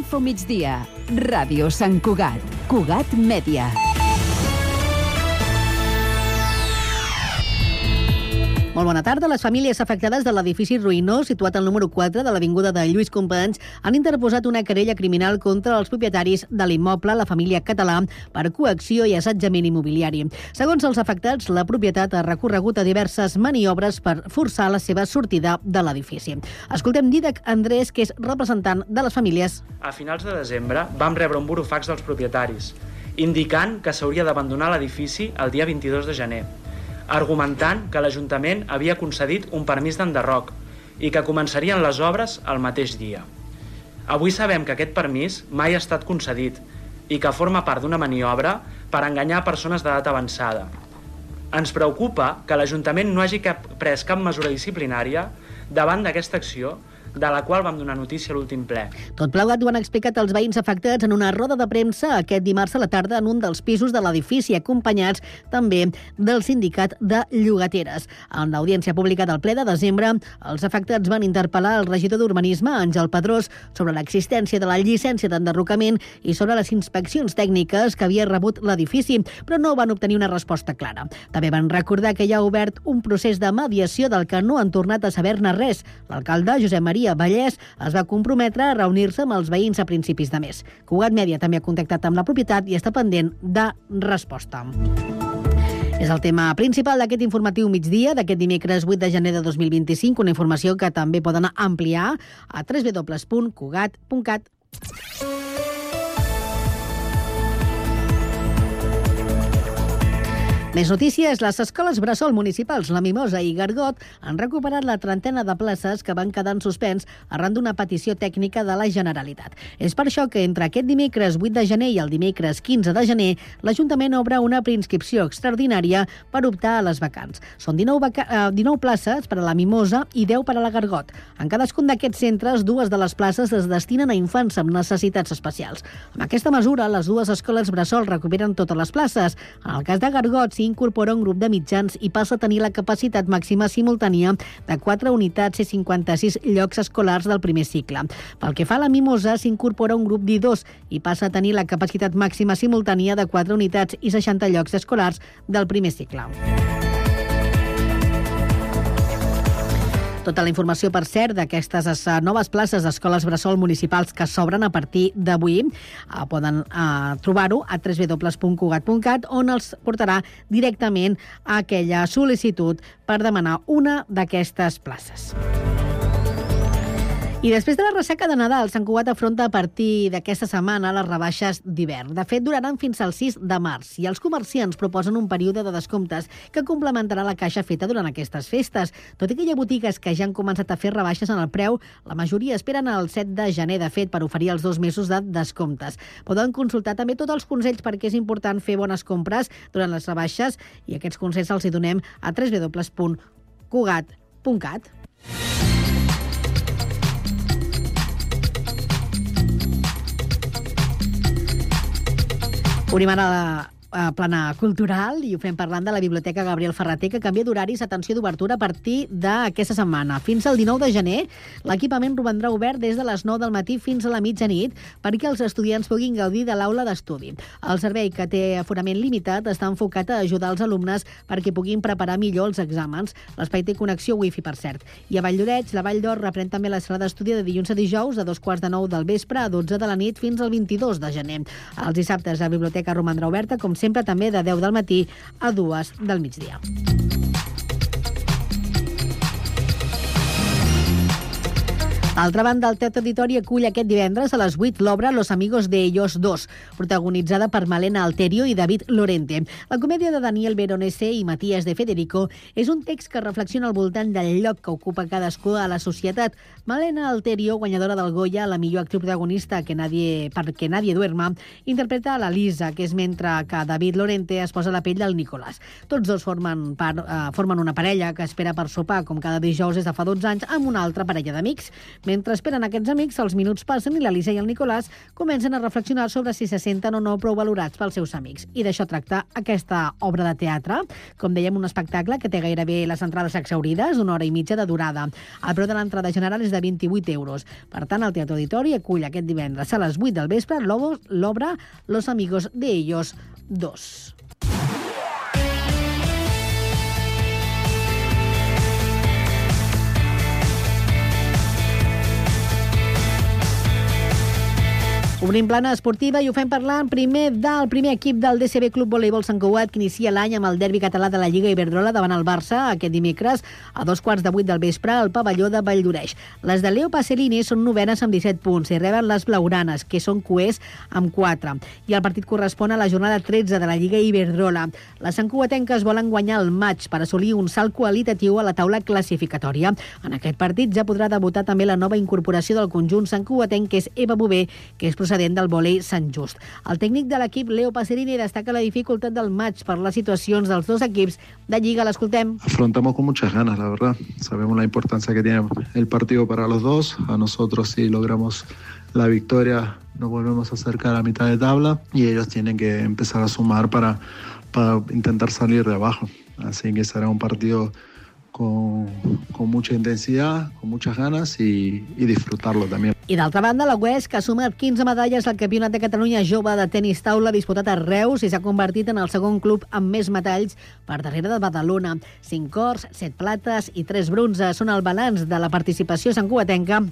Infomigdia. Ràdio Sant Cugat. Cugat Mèdia. Molt bona tarda. Les famílies afectades de l'edifici ruïnós situat al número 4 de l'avinguda de Lluís Companys han interposat una querella criminal contra els propietaris de l'immoble, la família Català, per coacció i assetjament immobiliari. Segons els afectats, la propietat ha recorregut a diverses maniobres per forçar la seva sortida de l'edifici. Escoltem Dídac Andrés, que és representant de les famílies. A finals de desembre vam rebre un burofax dels propietaris, indicant que s'hauria d'abandonar l'edifici el dia 22 de gener, argumentant que l'Ajuntament havia concedit un permís d'enderroc i que començarien les obres el mateix dia. Avui sabem que aquest permís mai ha estat concedit i que forma part d'una maniobra per enganyar persones d'edat avançada. Ens preocupa que l'Ajuntament no hagi pres cap mesura disciplinària davant d'aquesta acció, de la qual vam donar notícia a l'últim ple. Tot plegat ho han explicat els veïns afectats en una roda de premsa aquest dimarts a la tarda en un dels pisos de l'edifici, acompanyats també del sindicat de llogateres. En l'audiència pública del ple de desembre, els afectats van interpel·lar el regidor d'Urbanisme, Àngel Pedrós, sobre l'existència de la llicència d'enderrocament i sobre les inspeccions tècniques que havia rebut l'edifici, però no van obtenir una resposta clara. També van recordar que hi ha obert un procés de mediació del que no han tornat a saber-ne res. L'alcalde, Josep Maria Vallès, es va comprometre a reunir-se amb els veïns a principis de mes. Cugat Mèdia també ha contactat amb la propietat i està pendent de resposta. És el tema principal d'aquest informatiu migdia d'aquest dimecres 8 de gener de 2025, una informació que també poden ampliar a www.cugat.cat. Més notícies. Les escoles bressol municipals La Mimosa i Gargot han recuperat la trentena de places que van quedar en suspens arran d'una petició tècnica de la Generalitat. És per això que entre aquest dimecres 8 de gener i el dimecres 15 de gener l'Ajuntament obre una preinscripció extraordinària per optar a les vacants. Són 19 places per a La Mimosa i 10 per a la Gargot. En cadascun d'aquests centres, 2 de les places es destinen a infants amb necessitats especials. Amb aquesta mesura, les dues escoles bressol recuperen totes les places. En el cas de Gargot, s'hi incorpora un grup de mitjans i passa a tenir la capacitat màxima simultània de 4 unitats i 56 llocs escolars del primer cicle. Pel que fa a La Mimosa, s'incorpora un grup d'I2 i passa a tenir la capacitat màxima simultània de 4 unitats i 60 llocs escolars del primer cicle. Tota la informació, per cert, d'aquestes noves places d'escoles bressol municipals que s'obren a partir d'avui poden trobar-ho a www.cugat.cat, on els portarà directament a aquella sol·licitud per demanar una d'aquestes places. I després de la ressaca de Nadal, Sant Cugat afronta a partir d'aquesta setmana les rebaixes d'hivern. De fet, duraran fins al 6 de març i els comerciants proposen un període de descomptes que complementarà la caixa feta durant aquestes festes. Tot i que hi ha botigues que ja han començat a fer rebaixes en el preu, la majoria esperen el 7 de gener, de fet, per oferir els 2 mesos de descomptes. Poden consultar també tots els consells perquè és important fer bones compres durant les rebaixes i aquests consells els hi donem a www.cugat.cat. Obrim ara plana cultural i ho fem parlant de la Biblioteca Gabriel Ferrater, que canvia d'horaris, atenció, d'obertura a partir d'aquesta setmana. Fins al 19 de gener, l'equipament romandrà obert des de les 9 del matí fins a la mitjanit perquè els estudiants puguin gaudir de l'aula d'estudi. El servei, que té aforament limitat, està enfocat a ajudar els alumnes perquè puguin preparar millor els exàmens. L'espai té connexió wifi, per cert. I a Valldoreix, la Vall d'Or reprèn també la sala d'estudi de dilluns a dijous, de 2:45 del vespre a 12 de la nit fins al 22 de gener. Els dissabtes la biblioteca romandrà oberta, com sempre, també de 10 del matí a 2 del migdia. D'altra banda, el Teatre Auditori acull aquest divendres a les 8 l'obra Los amigos de ellos dos, protagonitzada per Malena Alterio i David Lorente. La comèdia de Daniel Veronese i Matías de Federico és un text que reflexiona al voltant del lloc que ocupa cadascú a la societat. Malena Alterio, guanyadora del Goya, la millor actriu protagonista perquè nadie duerma, interpreta a la Lisa, que és mentre que David Lorente es posa la pell del Nicolás. Tots dos formen una parella que espera per sopar, com cada dijous des de fa 12 anys, amb una altra parella d'amics. Mentre esperen aquests amics, els minuts passen i l'Elisa i el Nicolàs comencen a reflexionar sobre si se senten o no prou valorats pels seus amics. I d'això tracta aquesta obra de teatre. Com dèiem, un espectacle que té gairebé les entrades exhaurides, d'una hora i mitja de durada. El preu de l'entrada general és de 28 euros. Per tant, el Teatre Auditori acull aquest divendres a les 8 del vespre l'obra Los Amigos de Ellos 2. Obrim plana esportiva i ho fem parlant primer del primer equip del DCB Club Voleibol Sant Cugat, que inicia l'any amb el derbi català de la Lliga Iberdrola davant el Barça aquest dimecres a 7:15 del vespre al pavelló de Valldoreix. Les de Leo Pasolini són novenes amb 17 punts i reben les blaugranes, que són cuers amb 4. I el partit correspon a la jornada 13 de la Lliga Iberdrola. Les santcugatenques volen guanyar el maig per assolir un salt qualitatiu a la taula classificatòria. En aquest partit ja podrà debutar també la nova incorporació del conjunt santcugatenc, que és Eva Bové, que és procedent del vòlei Sant Just. El tècnic de l'equip, Leo Pasolini, destaca la dificultat del maig per les situacions dels dos equips de Lliga. L'escoltem. Afrontamos con muchas ganas, la verdad. Sabemos la importancia que tiene el partido para los dos. A nosotros, si logramos la victoria, nos volvemos a acercar a mitad de tabla y ellos tienen que empezar a sumar para intentar salir de abajo. Así que será un partido con mucha intensidad, con muchas ganas y disfrutarlo también. I d'altra banda, la UES, que ha sumat 15 medalles al Campionat de Catalunya Jove de tenis taula disputat a Reus i s'ha convertit en el segon club amb més metalls per darrere de Badalona. 5 ors, 7 plates i 3 bronzes són el balanç de la participació santcugatenca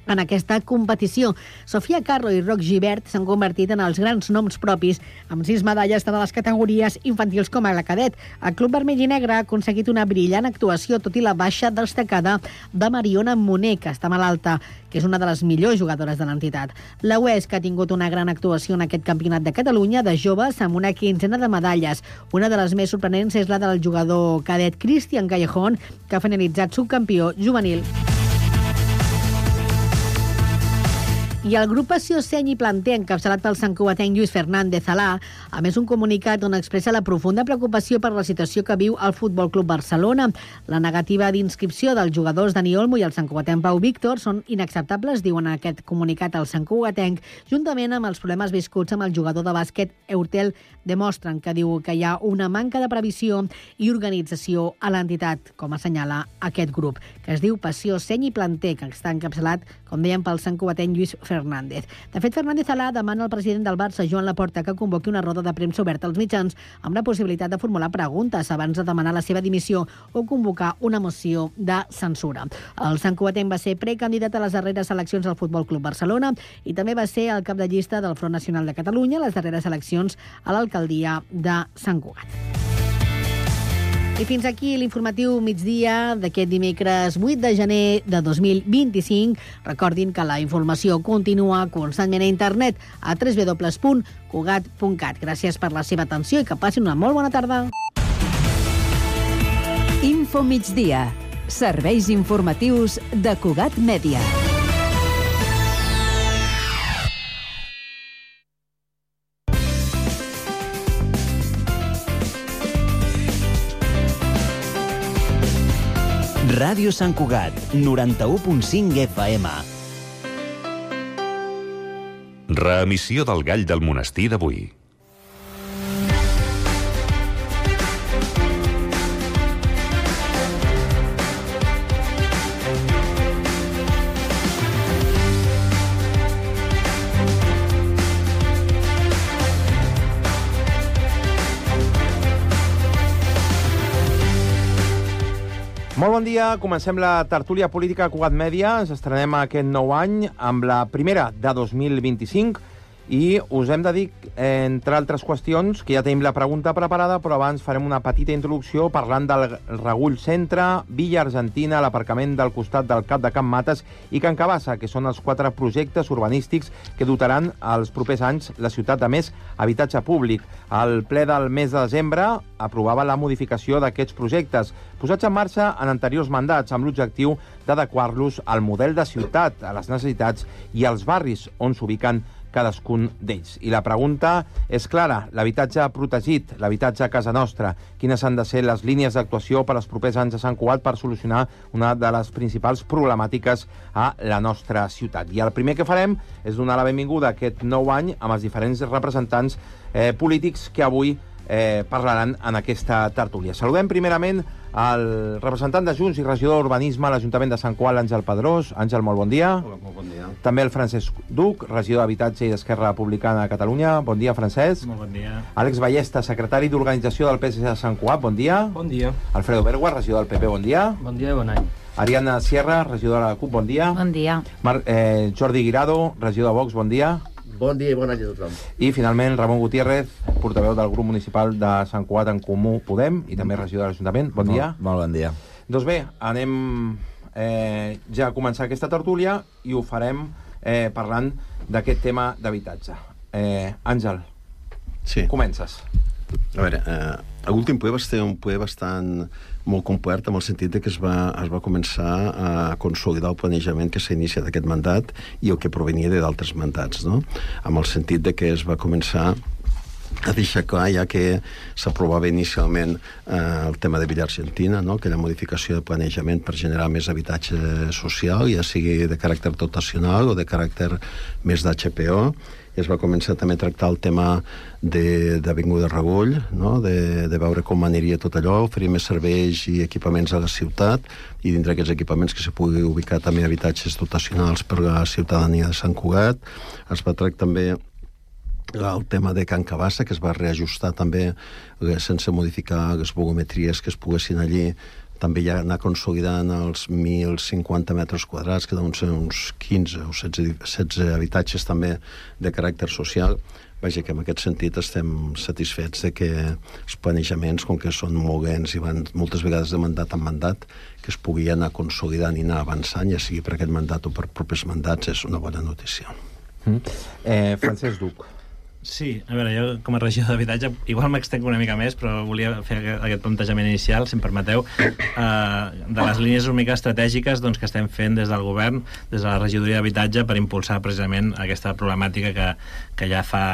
en aquesta competició. Sofia Carro i Roc Gibert s'han convertit en els grans noms propis, amb 6 medalles tant a les categories infantils com a la cadet. El Club Vermell i Negre ha aconseguit una brillant actuació, tot i la baixa destacada de Mariona Moner, que està malalta, que és una de les millors jugadores de l'entitat. La UES, que ha tingut una gran actuació en aquest Campionat de Catalunya de joves amb una 15ena de medalles. Una de les més sorprenents és la del jugador cadet Cristian Callejón, que ha finalitzat subcampió juvenil. I el grup Passió Seny i Planter, encapçalat pel santcugatenc Lluís Fernández Alà, a més un comunicat on expressa la profunda preocupació per la situació que viu el Futbol Club Barcelona. La negativa d'inscripció dels jugadors Dani Olmo i el santcugatenc Pau Víctor són inacceptables, diuen en aquest comunicat el santcugatenc, juntament amb els problemes viscuts amb el jugador de bàsquet Eurtel, demostren que diu que hi ha una manca de previsió i organització a l'entitat, com assenyala aquest grup, que es diu Passió Seny i Planter, que està encapçalat, com dèiem, pel santcugatenc Lluís Fernández. De fet, Fernández Alà demana al president del Barça, Joan Laporta, que convoqui una roda de premsa oberta als mitjans amb la possibilitat de formular preguntes abans de demanar la seva dimissió o convocar una moció de censura. El santcugatenc va ser precandidat a les darreres eleccions al Futbol Club Barcelona i també va ser el cap de llista del Front Nacional de Catalunya a les darreres eleccions a l'alcaldia de Sant Cugat. I fins aquí l'informatiu migdia d'aquest dimecres 8 de gener de 2025. Recordin que la informació continua constantment a internet a www.cugat.cat. Gràcies per la seva atenció i que passin una molt bona tarda. Info migdia. Serveis informatius de Cugat Mèdia. Ràdio Sant Cugat, 91.5 FM. Reemissió del Gall del Monestir d'avui. Molt bon dia, comencem la tertúlia política a Cugat Mèdia. Ens estrenem aquest nou any amb la primera de 2025 i us hem de dir, entre altres qüestions, que ja tenim la pregunta preparada, però abans farem una petita introducció parlant del Regull Centre, Villa Argentina, l'aparcament del costat del Cap de Can Mates i Can Cabassa, que són els 4 projectes urbanístics que dotaran els propers anys la ciutat de més habitatge públic. El ple del mes de desembre aprovava la modificació d'aquests projectes, posats en marxa en anteriors mandats, amb l'objectiu d'adequar-los al model de ciutat, a les necessitats i als barris on s'ubiquen cadascun d'ells. I la pregunta és clara: l'habitatge protegit, l'habitatge a casa nostra, quines han de ser les línies d'actuació per als propers anys a Sant Cugat per solucionar una de les principals problemàtiques a la nostra ciutat. I el primer que farem és donar la benvinguda a aquest nou any amb els diferents representants polítics que avui parlaran en aquesta tertúlia. Saludem primerament el representant de Junts i regidor d'Urbanisme a l'Ajuntament de Sant Cugat, l'Àngel Pedrós. Àngel, molt bon dia. Hola, molt bon dia. També el Francesc Duc, regidor d'Habitatge i d'Esquerra Republicana de Catalunya. Bon dia, Francesc. Molt bon dia. Àlex Ballesta, secretari d'Organització del PSC de Sant Cugat. Bon dia. Bon dia. Alfredo Bergua, regidor del PP. Bon dia. Bon dia i bon any. Ariadna Sierra, regidora de la CUP. Bon dia. Bon dia. Jordi Guirado, regidor de Vox. Bon dia. Bon dia i bon any a tothom. I, finalment, Ramon Gutiérrez, portaveu del grup municipal de Sant Cugat en Comú Podem i també regidor de l'Ajuntament. Bon dia. Molt bon dia. Doncs bé, anem ja a començar aquesta tertúlia i ho farem parlant d'aquest tema d'habitatge. Àngel, comences. A veure, l'últim ple va ser un ple bastant molt complet, en el sentit que es va començar a consolidar el planejament que s'ha iniciat aquest mandat i el que provenia d'altres mandats, no? Amb el sentit de que es va començar a deixar clar, ja que s'aprovava inicialment el tema de Villa Argentina, no? Aquella modificació de planejament per generar més habitatge social, ja sigui de caràcter dotacional o de caràcter més d'HPO. I es va començar també a tractar el tema d'Avinguda Regull, no? de veure com aniria tot allò, oferir més serveis i equipaments a la ciutat, i dintre aquests equipaments que se pugui ubicar també habitatges dotacionals per a la ciutadania de Sant Cugat. Es va tractar també el tema de Can Cabassa, que es va reajustar també sense modificar les volumetries que es poguessin allí, també ja anar consolidant els 1.050 metres quadrats, que deuen ser uns 15 o 16 habitatges també de caràcter social. Vaja, que en aquest sentit estem satisfets de que els planejaments, com que són molt lents i van moltes vegades de mandat en mandat, que es pugui anar consolidant i anar avançant, ja sigui per aquest mandat o per propers mandats, és una bona notícia. Francesc Duc. Sí, a veure, jo com a regidor d'habitatge igual m'extenc una mica més, però volia fer aquest plantejament inicial, si em permeteu, de les línies una mica estratègiques que estem fent des del govern, des de la regidoria d'habitatge, per impulsar precisament aquesta problemàtica que ja fa...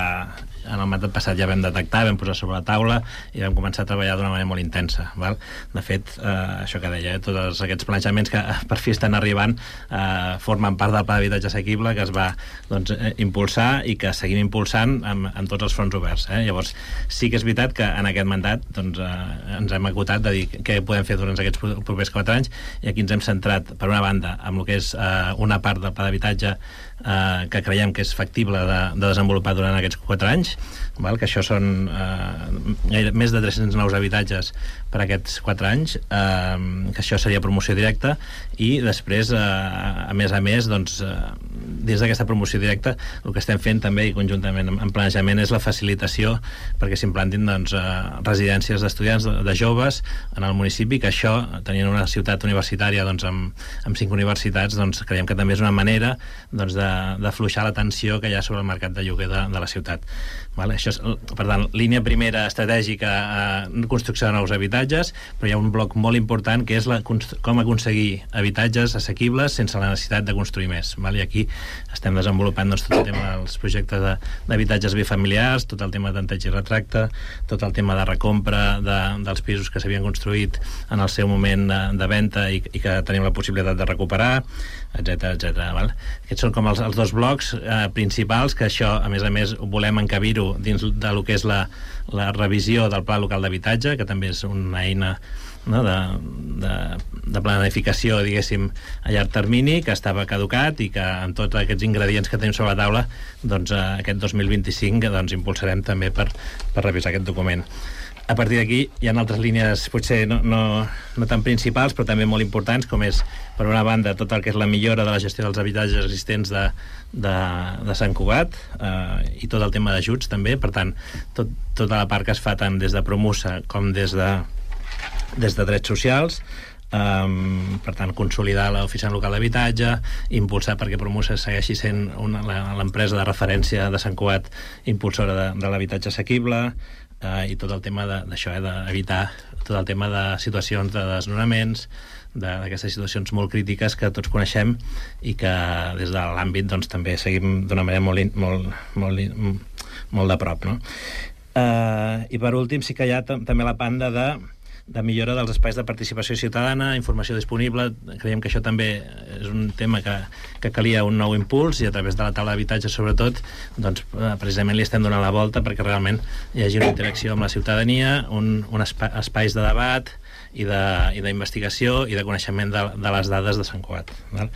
En el mandat passat ja vam detectar, vam posar sobre la taula i vam començar a treballar d'una manera molt intensa. Val? De fet, això que deia, tots aquests planejaments que per fi estan arribant formen part del pla d'habitatge assequible que es va impulsar i que seguim impulsant amb tots els fronts oberts. Llavors, sí que és veritat que en aquest mandat ens hem acotat de dir què podem fer durant aquests propers 4 anys, i aquí ens hem centrat, per una banda, amb el que és una part del pla d'habitatge que creiem que és factible de desenvolupar durant aquests 4 anys, que això són més de 300 nous habitatges per aquests 4 anys, que això seria promoció directa, i després, a més, dins d'aquesta promoció directa, el que estem fent també, i conjuntament en planejament, és la facilitació perquè s'implantin residències d'estudiants, de joves, en el municipi, que això, tenint una ciutat universitària amb 5 universitats, creiem que també és una manera d'afluixar la tensió que hi ha sobre el mercat de lloguer de la ciutat. Això és, per tant, línia primera estratègica, construcció de nous habitatges, però hi ha un bloc molt important que és com aconseguir habitatges assequibles sense la necessitat de construir més. I aquí estem desenvolupant tot el tema dels projectes d'habitatges bifamiliars, tot el tema de tanteig i retracte, tot el tema de recompra dels pisos que s'havien construït en el seu moment de venda i que tenim la possibilitat de recuperar, etc. Aquests són com els 2 blocs principals, que això, a més, volem encabir-ho dins del que és la revisió del Pla Local d'Habitatge, que també és una eina de planificació, diguéssim, a llarg termini, que estava caducat i que amb tots aquests ingredients que tenim sobre la taula, aquest 2025 impulsarem també per revisar aquest document. A partir d'aquí hi ha altres línies potser no tan principals, però també molt importants, com és, per una banda, tot el que és la millora de la gestió dels habitatges existents de Sant Cugat, i tot el tema d'ajuts també. Per tant, tota la part que es fa tant des de Promusa com des de Drets Socials, per tant, consolidar l'oficina local d'habitatge, impulsar perquè Promusa segueixi sent l'empresa de referència de Sant Cugat impulsora de l'habitatge assequible, i tot el tema d'això, d'evitar tot el tema de situacions de desnonaments, d'aquestes situacions molt crítiques que tots coneixem i que des de l'àmbit doncs, també seguim d'una manera molt de prop, no? I per últim sí que hi ha també la banda de millora dels espais de participació ciutadana, informació disponible. Creiem que això també és un tema que calia un nou impuls, i a través de la taula d'habitatge sobretot doncs, precisament li estem donant la volta perquè realment hi hagi una interacció amb la ciutadania, espais de debat i d'investigació i de coneixement de les dades de Sant Cugat, val?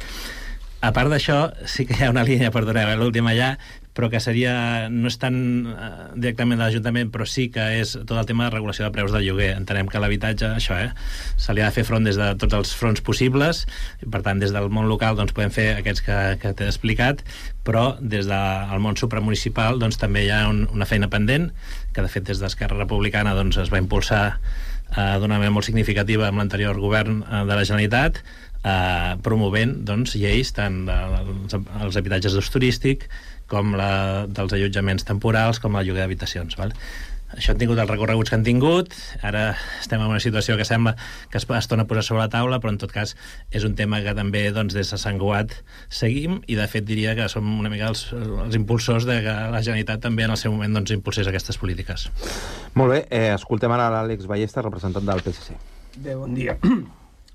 A part d'això, sí que hi ha una línia, perdoneu, l'última ja, però que no és tan directament de l'Ajuntament, però sí que és tot el tema de regulació de preus del lloguer. Entenem que l'habitatge, això, se li ha de fer front des de tots els fronts possibles, i per tant, des del món local doncs, podem fer aquests que t'he explicat, però des del món supramunicipal doncs, també hi ha una feina pendent, que de fet des d'Esquerra Republicana doncs, es va impulsar d'una manera molt significativa amb l'anterior govern de la Generalitat, promovent doncs, lleis tant dels habitatges d'ús turístic com dels allotjaments temporals, com el lloguer d'habitacions. Això han tingut els recorreguts que han tingut, ara estem en una situació que sembla que es torna a posar sobre la taula, però en tot cas és un tema que també doncs, des de Sant Cugat seguim, i de fet diria que som una mica els impulsors de que la Generalitat també en el seu moment doncs, impulsés aquestes polítiques. Molt bé, escoltem ara l'Àlex Ballesta, representant del PSC. Bé, bon dia.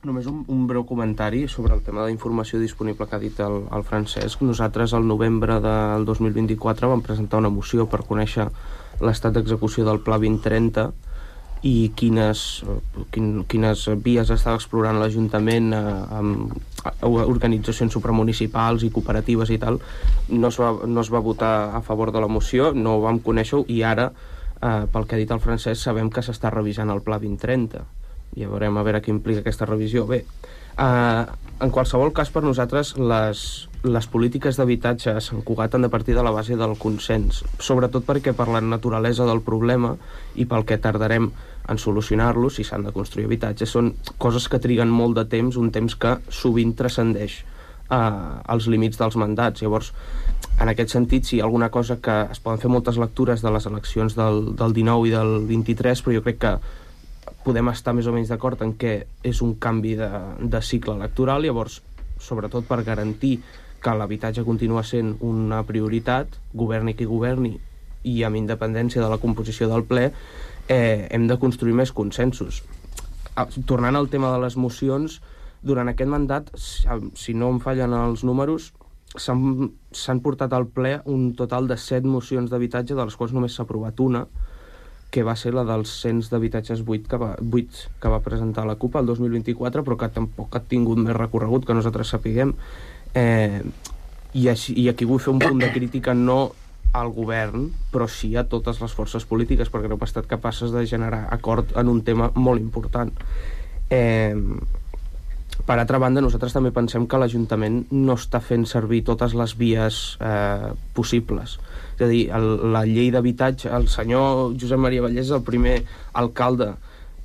Només un breu comentari sobre el tema d'informació disponible que ha dit el Francesc. Nosaltres, al novembre del 2024, vam presentar una moció per conèixer l'estat d'execució del Pla 2030 i quines vies estava explorant l'Ajuntament amb organitzacions supramunicipals i cooperatives i tal. No es va votar a favor de la moció, no ho vam conèixer, i ara, pel que ha dit el Francesc, sabem que s'està revisant el Pla 2030. Ja veurem a veure què implica aquesta revisió. Bé, en qualsevol cas, per nosaltres les polítiques d'habitatge a Sant Cugat han de partir de la base del consens, sobretot perquè per la naturalesa del problema i pel que tardarem en solucionar-lo, si s'han de construir habitatges, són coses que triguen molt de temps, un temps que sovint transcendeix els límits dels mandats. Llavors, en aquest sentit, sí, alguna cosa que es poden fer moltes lectures de les eleccions del 19 i del 23, però jo crec que podem estar més o menys d'acord en què és un canvi de cicle electoral. Llavors, sobretot per garantir que l'habitatge continua sent una prioritat, governi qui governi, i amb independència de la composició del ple, hem de construir més consensos. Tornant al tema de les mocions, durant aquest mandat, si no em fallen els números, s'han portat al ple un total de 7 mocions d'habitatge, de les quals només s'ha aprovat una, que va ser la dels cens d'habitatges buits que va presentar la CUP el 2024, però que tampoc ha tingut més recorregut que nosaltres sapiguem. I aquí vull fer un punt de crítica no al govern, però sí a totes les forces polítiques, perquè no hem estat capaces de generar acord en un tema molt important. Per altra banda, nosaltres també pensem que l'Ajuntament no està fent servir totes les vies possibles. És a dir, la llei d'habitatge, el senyor Josep Maria Vallès és el primer alcalde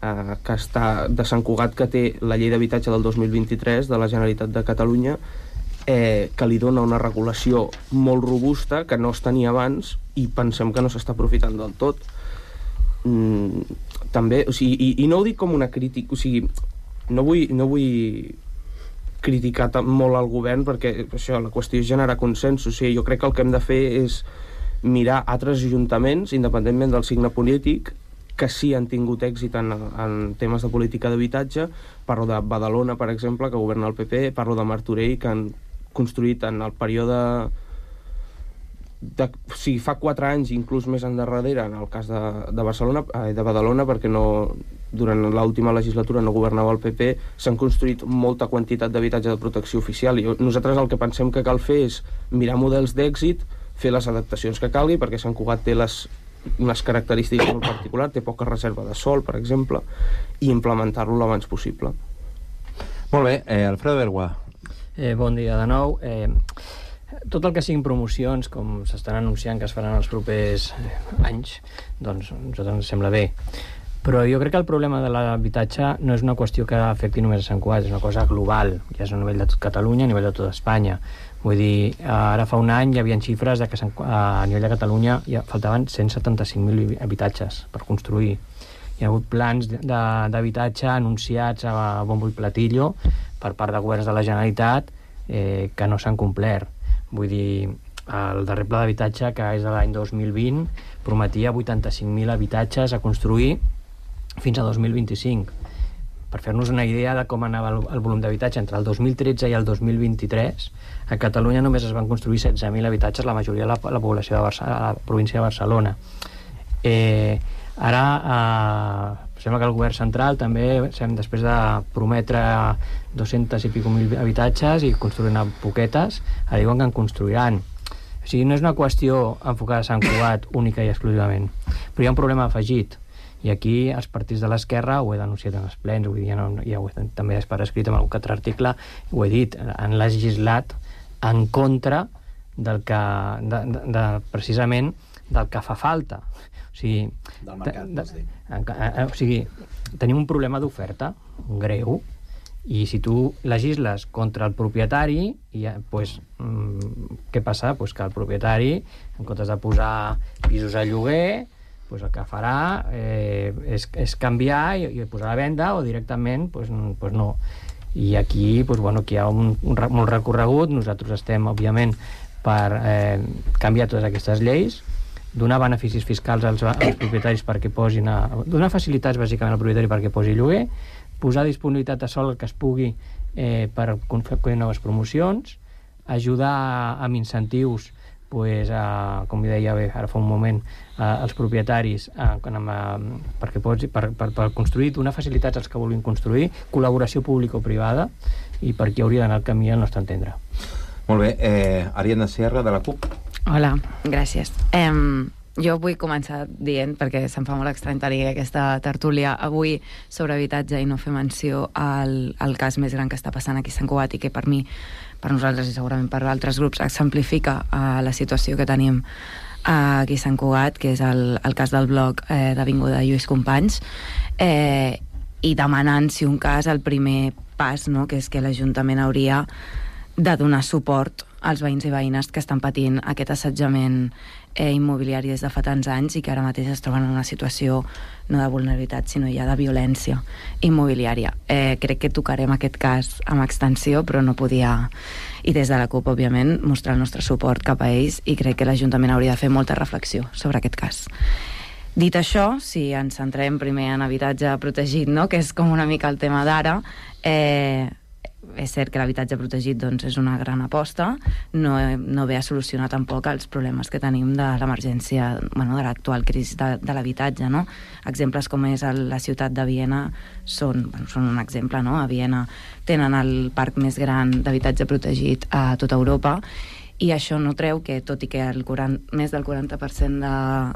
que està de Sant Cugat que té la llei d'habitatge del 2023 de la Generalitat de Catalunya, que li dona una regulació molt robusta que no es tenia abans, i pensem que no s'està aprofitant del tot. També, o sigui, i no ho dic com una crítica, o sigui, no vull criticar molt al govern, perquè això, la qüestió és generar consensos. O sigui, jo crec que el que hem de fer és mirar altres ajuntaments, independentment del signe polític, que sí han tingut èxit en temes de política d'habitatge. Parlo de Badalona, per exemple, que governa el PP, parlo de Martorell, que han construït en el període o sigui, fa 4 anys, inclús més endarrere, en el cas de Badalona, perquè durant l'última legislatura no governava el PP, s'han construït molta quantitat d'habitatge de protecció oficial, i nosaltres el que pensem que cal fer és mirar models d'èxit, fer les adaptacions que calgui, perquè Sant Cugat té unes característiques molt particulars, té poca reserva de sòl, per exemple, i implementar-lo l'abans possible. Molt bé, Alfredo Bergua. Bon dia de nou. Tot el que siguin promocions, com s'estan anunciant que es faran els propers anys, doncs a nosaltres ens sembla bé. Però jo crec que el problema de l'habitatge no és una qüestió que afecti només a Sant Cugat, és una cosa global, ja és a nivell de tot Catalunya, a nivell de tota Espanya. Vull dir, ara fa un any hi havia xifres de que a nivell de Catalunya faltaven 175.000 habitatges per construir. Hi ha hagut plans d'habitatge anunciats a bombo i platillo per part de governs de la Generalitat que no s'han complert. Vull dir, el darrer pla d'habitatge, que és de l'any 2020, prometia 85.000 habitatges a construir fins a 2025. Per fer-nos una idea de com anava el volum d'habitatge entre el 2013 i el 2023, a Catalunya només es van construir 16.000 habitatges, la majoria de la població de la província de Barcelona. Ara sembla que el govern central també, després de prometre 200 i pico mil habitatges i construint a poquetes, ara diuen que en construiran. O sigui, no és una qüestió enfocada a Sant Cugat única i exclusivament, però hi ha un problema afegit, i aquí els partits de l'esquerra, ho he denunciat en els plens, vull dir, ja ho he també per escrit en algun altre article, ho he dit, han legislat en contra del que, precisament del que fa falta. O sigui, del mercat, vols dir. O sigui, tenim un problema d'oferta greu, i si tu legisles contra el propietari, pues, què passa? Pues que el propietari, en comptes de posar pisos a lloguer, pues el que farà és canviar i posar a la venda, o directament pues no. I aquí, pues, bueno, aquí hi ha molt recorregut. Nosaltres estem, òbviament, per canviar totes aquestes lleis, donar beneficis fiscals als propietaris perquè posin donar facilitats bàsicament al propietari perquè posi lloguer, posar disponibilitat a sol que es pugui per fer noves promocions, ajudar amb incentius, pues, com deia bé ara fa un moment, als propietaris per construir, donar facilitats als que vulguin construir, col·laboració público-privada, i per aquí hauria d'anar el camí al nostre entendre. Molt bé, Ariadna Sierra, de la CUP. Hola, gràcies. Jo vull començar dient, perquè se'm fa molt estrany tenir aquesta tertúlia avui sobre habitatge i no fer menció al cas més gran que està passant aquí a Sant Cugat i que per mi, per nosaltres i segurament per altres grups, exemplifica la situació que tenim aquí a Sant Cugat, que és el cas del bloc d'Avinguda Lluís Companys, i demanant, si un cas, el primer pas, no?, que és que l'Ajuntament hauria de donar suport als veïns i veïnes que estan patint aquest assetjament immobiliari des de fa tants anys i que ara mateix es troben en una situació no de vulnerabilitat, sinó ja de violència immobiliària. Crec que tocarem aquest cas amb extensió, però no podia, i des de la CUP, òbviament, mostrar el nostre suport cap a ells, i crec que l'Ajuntament hauria de fer molta reflexió sobre aquest cas. Dit això, si ens centrem primer en habitatge protegit, no?, que és com una mica el tema d'ara, és cert que l'habitatge protegit, doncs, és una gran aposta, no ve a solucionar tampoc els problemes que tenim de l'emergència, bueno, de l'actual crisi de l'habitatge, no? Exemples com és la ciutat de Viena són un exemple, no? A Viena tenen el parc més gran d'habitatge protegit a tota Europa, i això no treu que, tot i que més del 40%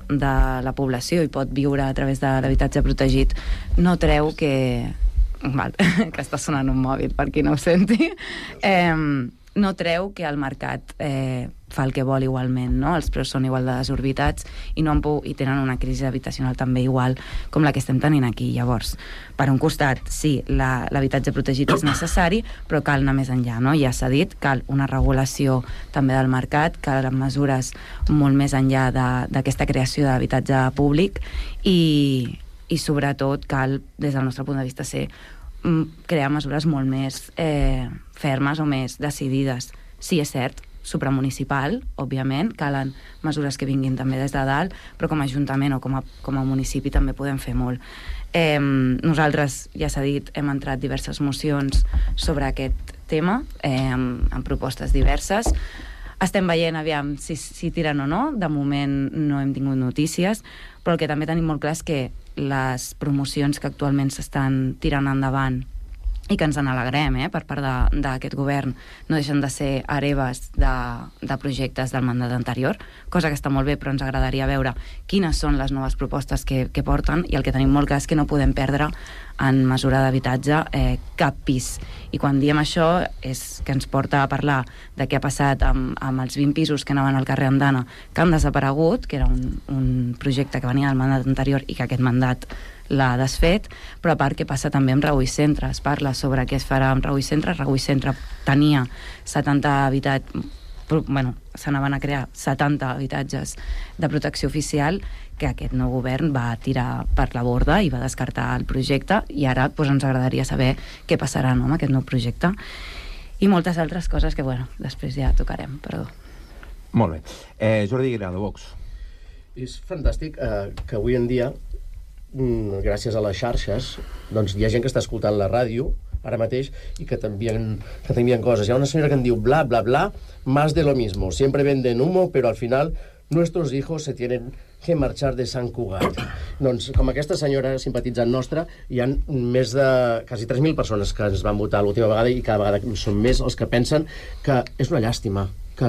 de la població hi pot viure a través de l'habitatge protegit, no treu que que està sonant un mòbil per qui no ho senti, no treu que el mercat fa el que vol igualment, no? Els preus són igual de desorbitats i tenen una crisi habitacional també igual com la que estem tenint aquí. Llavors, per un costat, sí, l'habitatge protegit és necessari, però cal anar més enllà, no? Ja s'ha dit, cal una regulació també del mercat, cal mesures molt més enllà d'aquesta creació d'habitatge públic i sobretot cal, des del nostre punt de vista, crear mesures molt més fermes o més decidides. Sí, és cert, supramunicipal, òbviament, calen mesures que vinguin també des de dalt, però com a Ajuntament o com a municipi també podem fer molt. Nosaltres, ja s'ha dit, hem entrat diverses mocions sobre aquest tema, amb propostes diverses. Estem veient, aviam, si tiren o no. De moment no hem tingut notícies, però el que també tenim molt clar és que les promocions que actualment s'estan tirant endavant i que ens n'alegrem per part d'aquest govern no deixen de ser hereves de projectes del mandat anterior, cosa que està molt bé, però ens agradaria veure quines són les noves propostes que porten, i el que tenim molt clar és que no podem perdre en mesura d'habitatge cap pis. I quan diem això és que ens porta a parlar de què ha passat amb els 20 pisos que anaven al carrer Andana, que han desaparegut, que era un projecte que venia del mandat anterior i que aquest mandat l'ha desfet, però a part què passa també amb Reui Centre, es parla sobre què es farà amb Reui Centre. Reui Centre tenia 70 habitatges, bueno, s'anaven a crear 70 habitatges de protecció oficial que aquest nou govern va tirar per la borda i va descartar el projecte, i ara doncs, ens agradaria saber què passarà, no, amb aquest nou projecte i moltes altres coses que, bueno, després ja tocarem, perdó. Molt bé. Jordi Guirado, Vox. És fantàstic que avui en dia, gràcies a les xarxes, doncs hi ha gent que està escoltant la ràdio ara mateix i que t'envien coses. Hi ha una senyora que em diu bla, bla, bla, más de lo mismo. Siempre venden humo, pero al final nuestros hijos se tienen que marchar de Sant Cugat. Doncs, com aquesta senyora simpatitzant nostra, hi ha més de quasi 3.000 persones que ens van votar l'última vegada i cada vegada són més els que pensen que és una llàstima que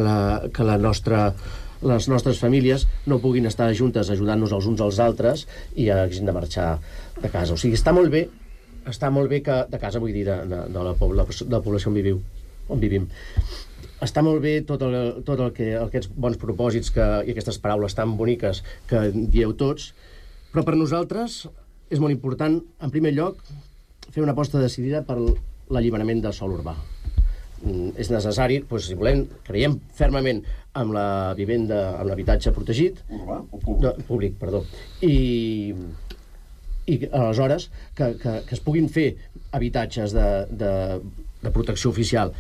les nostres famílies no puguin estar juntes ajudant-nos els uns als altres i hagin de marxar de casa. O sigui, està molt bé que, de casa vull dir, de la població on vivim. Està molt bé tot el que aquests bons propòsits i aquestes paraules tan boniques que dieu tots, però per nosaltres és molt important, en primer lloc, fer una aposta decidida per l'alliberament del sòl urbà. És necessari, doncs, si volem, creiem fermament amb la vivenda, amb l'habitatge protegit, urbà o públic? Públic, perdó. I aleshores que es puguin fer habitatges de protecció oficial.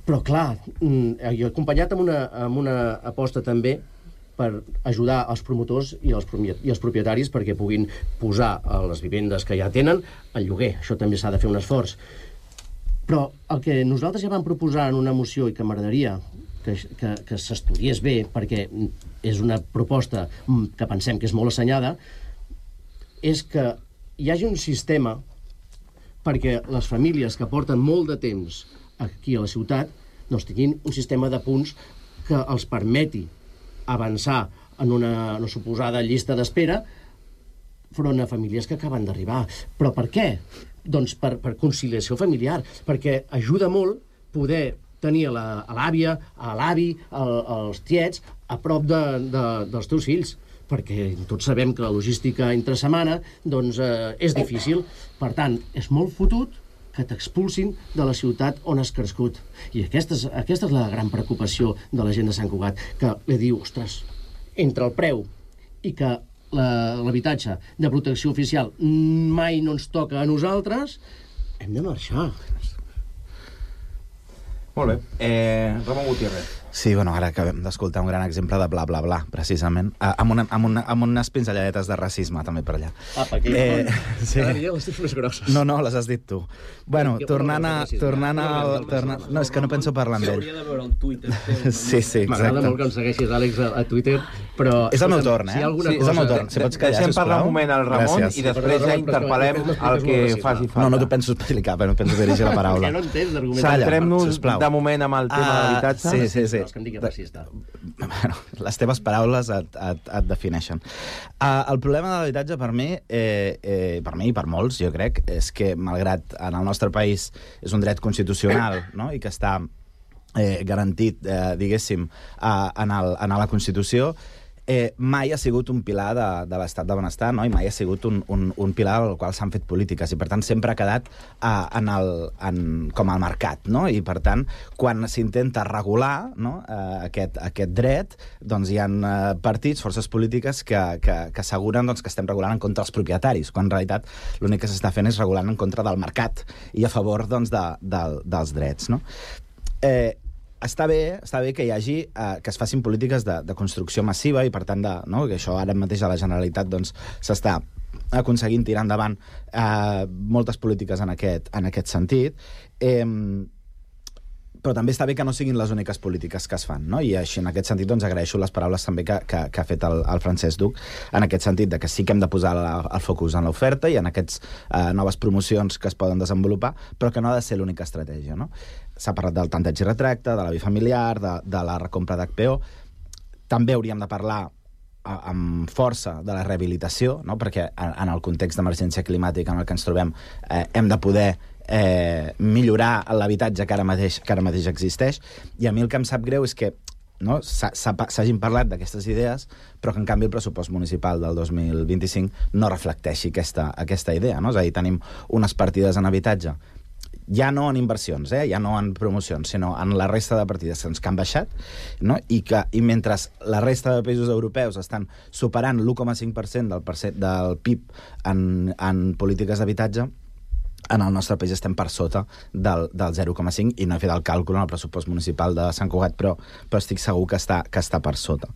Però clar, jo he acompanyat amb una aposta també per ajudar els promotors i els propietaris perquè puguin posar les vivendes que ja tenen al lloguer. Això també s'ha de fer un esforç. Però el que nosaltres ja vam proposar en una moció i que m'agradaria que s'estudiés bé, perquè és una proposta que pensem que és molt assenyada, és que hi hagi un sistema perquè les famílies que porten molt de temps aquí a la ciutat doncs tinguin un sistema de punts que els permeti avançar en una suposada llista d'espera front a famílies que acaben d'arribar. Però per què? Doncs per conciliació familiar, perquè ajuda molt poder tenir l'àvia, l'avi, els tiets a prop dels teus fills, perquè tots sabem que la logística entre setmana doncs, és difícil. Per tant, és molt fotut que t'expulsin de la ciutat on has crescut. I aquesta és la gran preocupació de la gent de Sant Cugat, que li diu, ostres, entre el preu i que l'habitatge de protecció oficial mai no ens toca a nosaltres, hem de marxar. Molt bé. Ramon Gutiérrez. Sí, bueno, ara acabem d'escoltar un gran exemple de bla, bla, bla, precisament, amb unes pinzelladetes de racisme, també per allà. Apa, aquí. Sí. Cada dia les tens més grosses. No, les has dit tu. Bueno, tornant al... No, és que no penso parlar amb ell. S'hauria de veure el Twitter. Sí, exacte. M'agrada molt que em segueixis, Àlex, a Twitter, però... És el meu torn, Si hi ha alguna cosa... És el meu torn. Si pots callar, sisplau. Deixem parlar un moment al Ramon i després ja interpel·lem el que faci falta. No t'ho penso explicar, però no penso dirigir la paraula. Ja no entens l'argument. Centrem-nos de moment amb el tema de l'habitatge. Sí. No, és que em digui racista. Bueno, les teves paraules et defineixen. El problema de l'habitatge per mi i per molts, jo crec, és que malgrat en el nostre país és un dret constitucional, no?, i que està garantit, diguéssim, en la Constitució, mai ha sigut un pilar de l'estat de benestar, no? I mai ha sigut un pilar al qual s'han fet polítiques, i per tant sempre ha quedat com al mercat, no? I per tant, quan s'intenta regular, no, aquest dret, doncs hi ha partits, forces polítiques que asseguren doncs, que estem regulant en contra dels propietaris, quan en realitat l'únic que s'està fent és regulant en contra del mercat i a favor doncs, dels drets, no? Està bé que hi hagi, que es facin polítiques de construcció massiva i, per tant, no, que això ara mateix a la Generalitat doncs, s'està aconseguint tirar endavant moltes polítiques en aquest sentit. Però també està bé que no siguin les úniques polítiques que es fan, no? I així, en aquest sentit, doncs, agraeixo les paraules també que ha fet el Francesc Duc, en aquest sentit, de que sí que hem de posar el focus en l'oferta i en aquestes noves promocions que es poden desenvolupar, però que no ha de ser l'única estratègia, no? S'ha parlat del tanteig i retracte, de la bifamiliar, de la recompra d'HPO. També hauríem de parlar amb força de la rehabilitació, no? Perquè en el context d'emergència climàtica en el que ens trobem hem de poder millorar l'habitatge que ara mateix existeix. I a mi el que em sap greu és que no, s'hagin parlat d'aquestes idees, però que en canvi el pressupost municipal del 2025 no reflecteixi aquesta idea, no? És a dir, tenim unes partides en habitatge, ja no en inversions, ja no en promocions, sinó en la resta de partides que han baixat, no? I mentre la resta de països europeus estan superant l'1,5% del PIB en polítiques d'habitatge, en el nostre país estem per sota del 0,5, i no he fet el càlcul en el pressupost municipal de Sant Cugat, però estic segur que està per sota.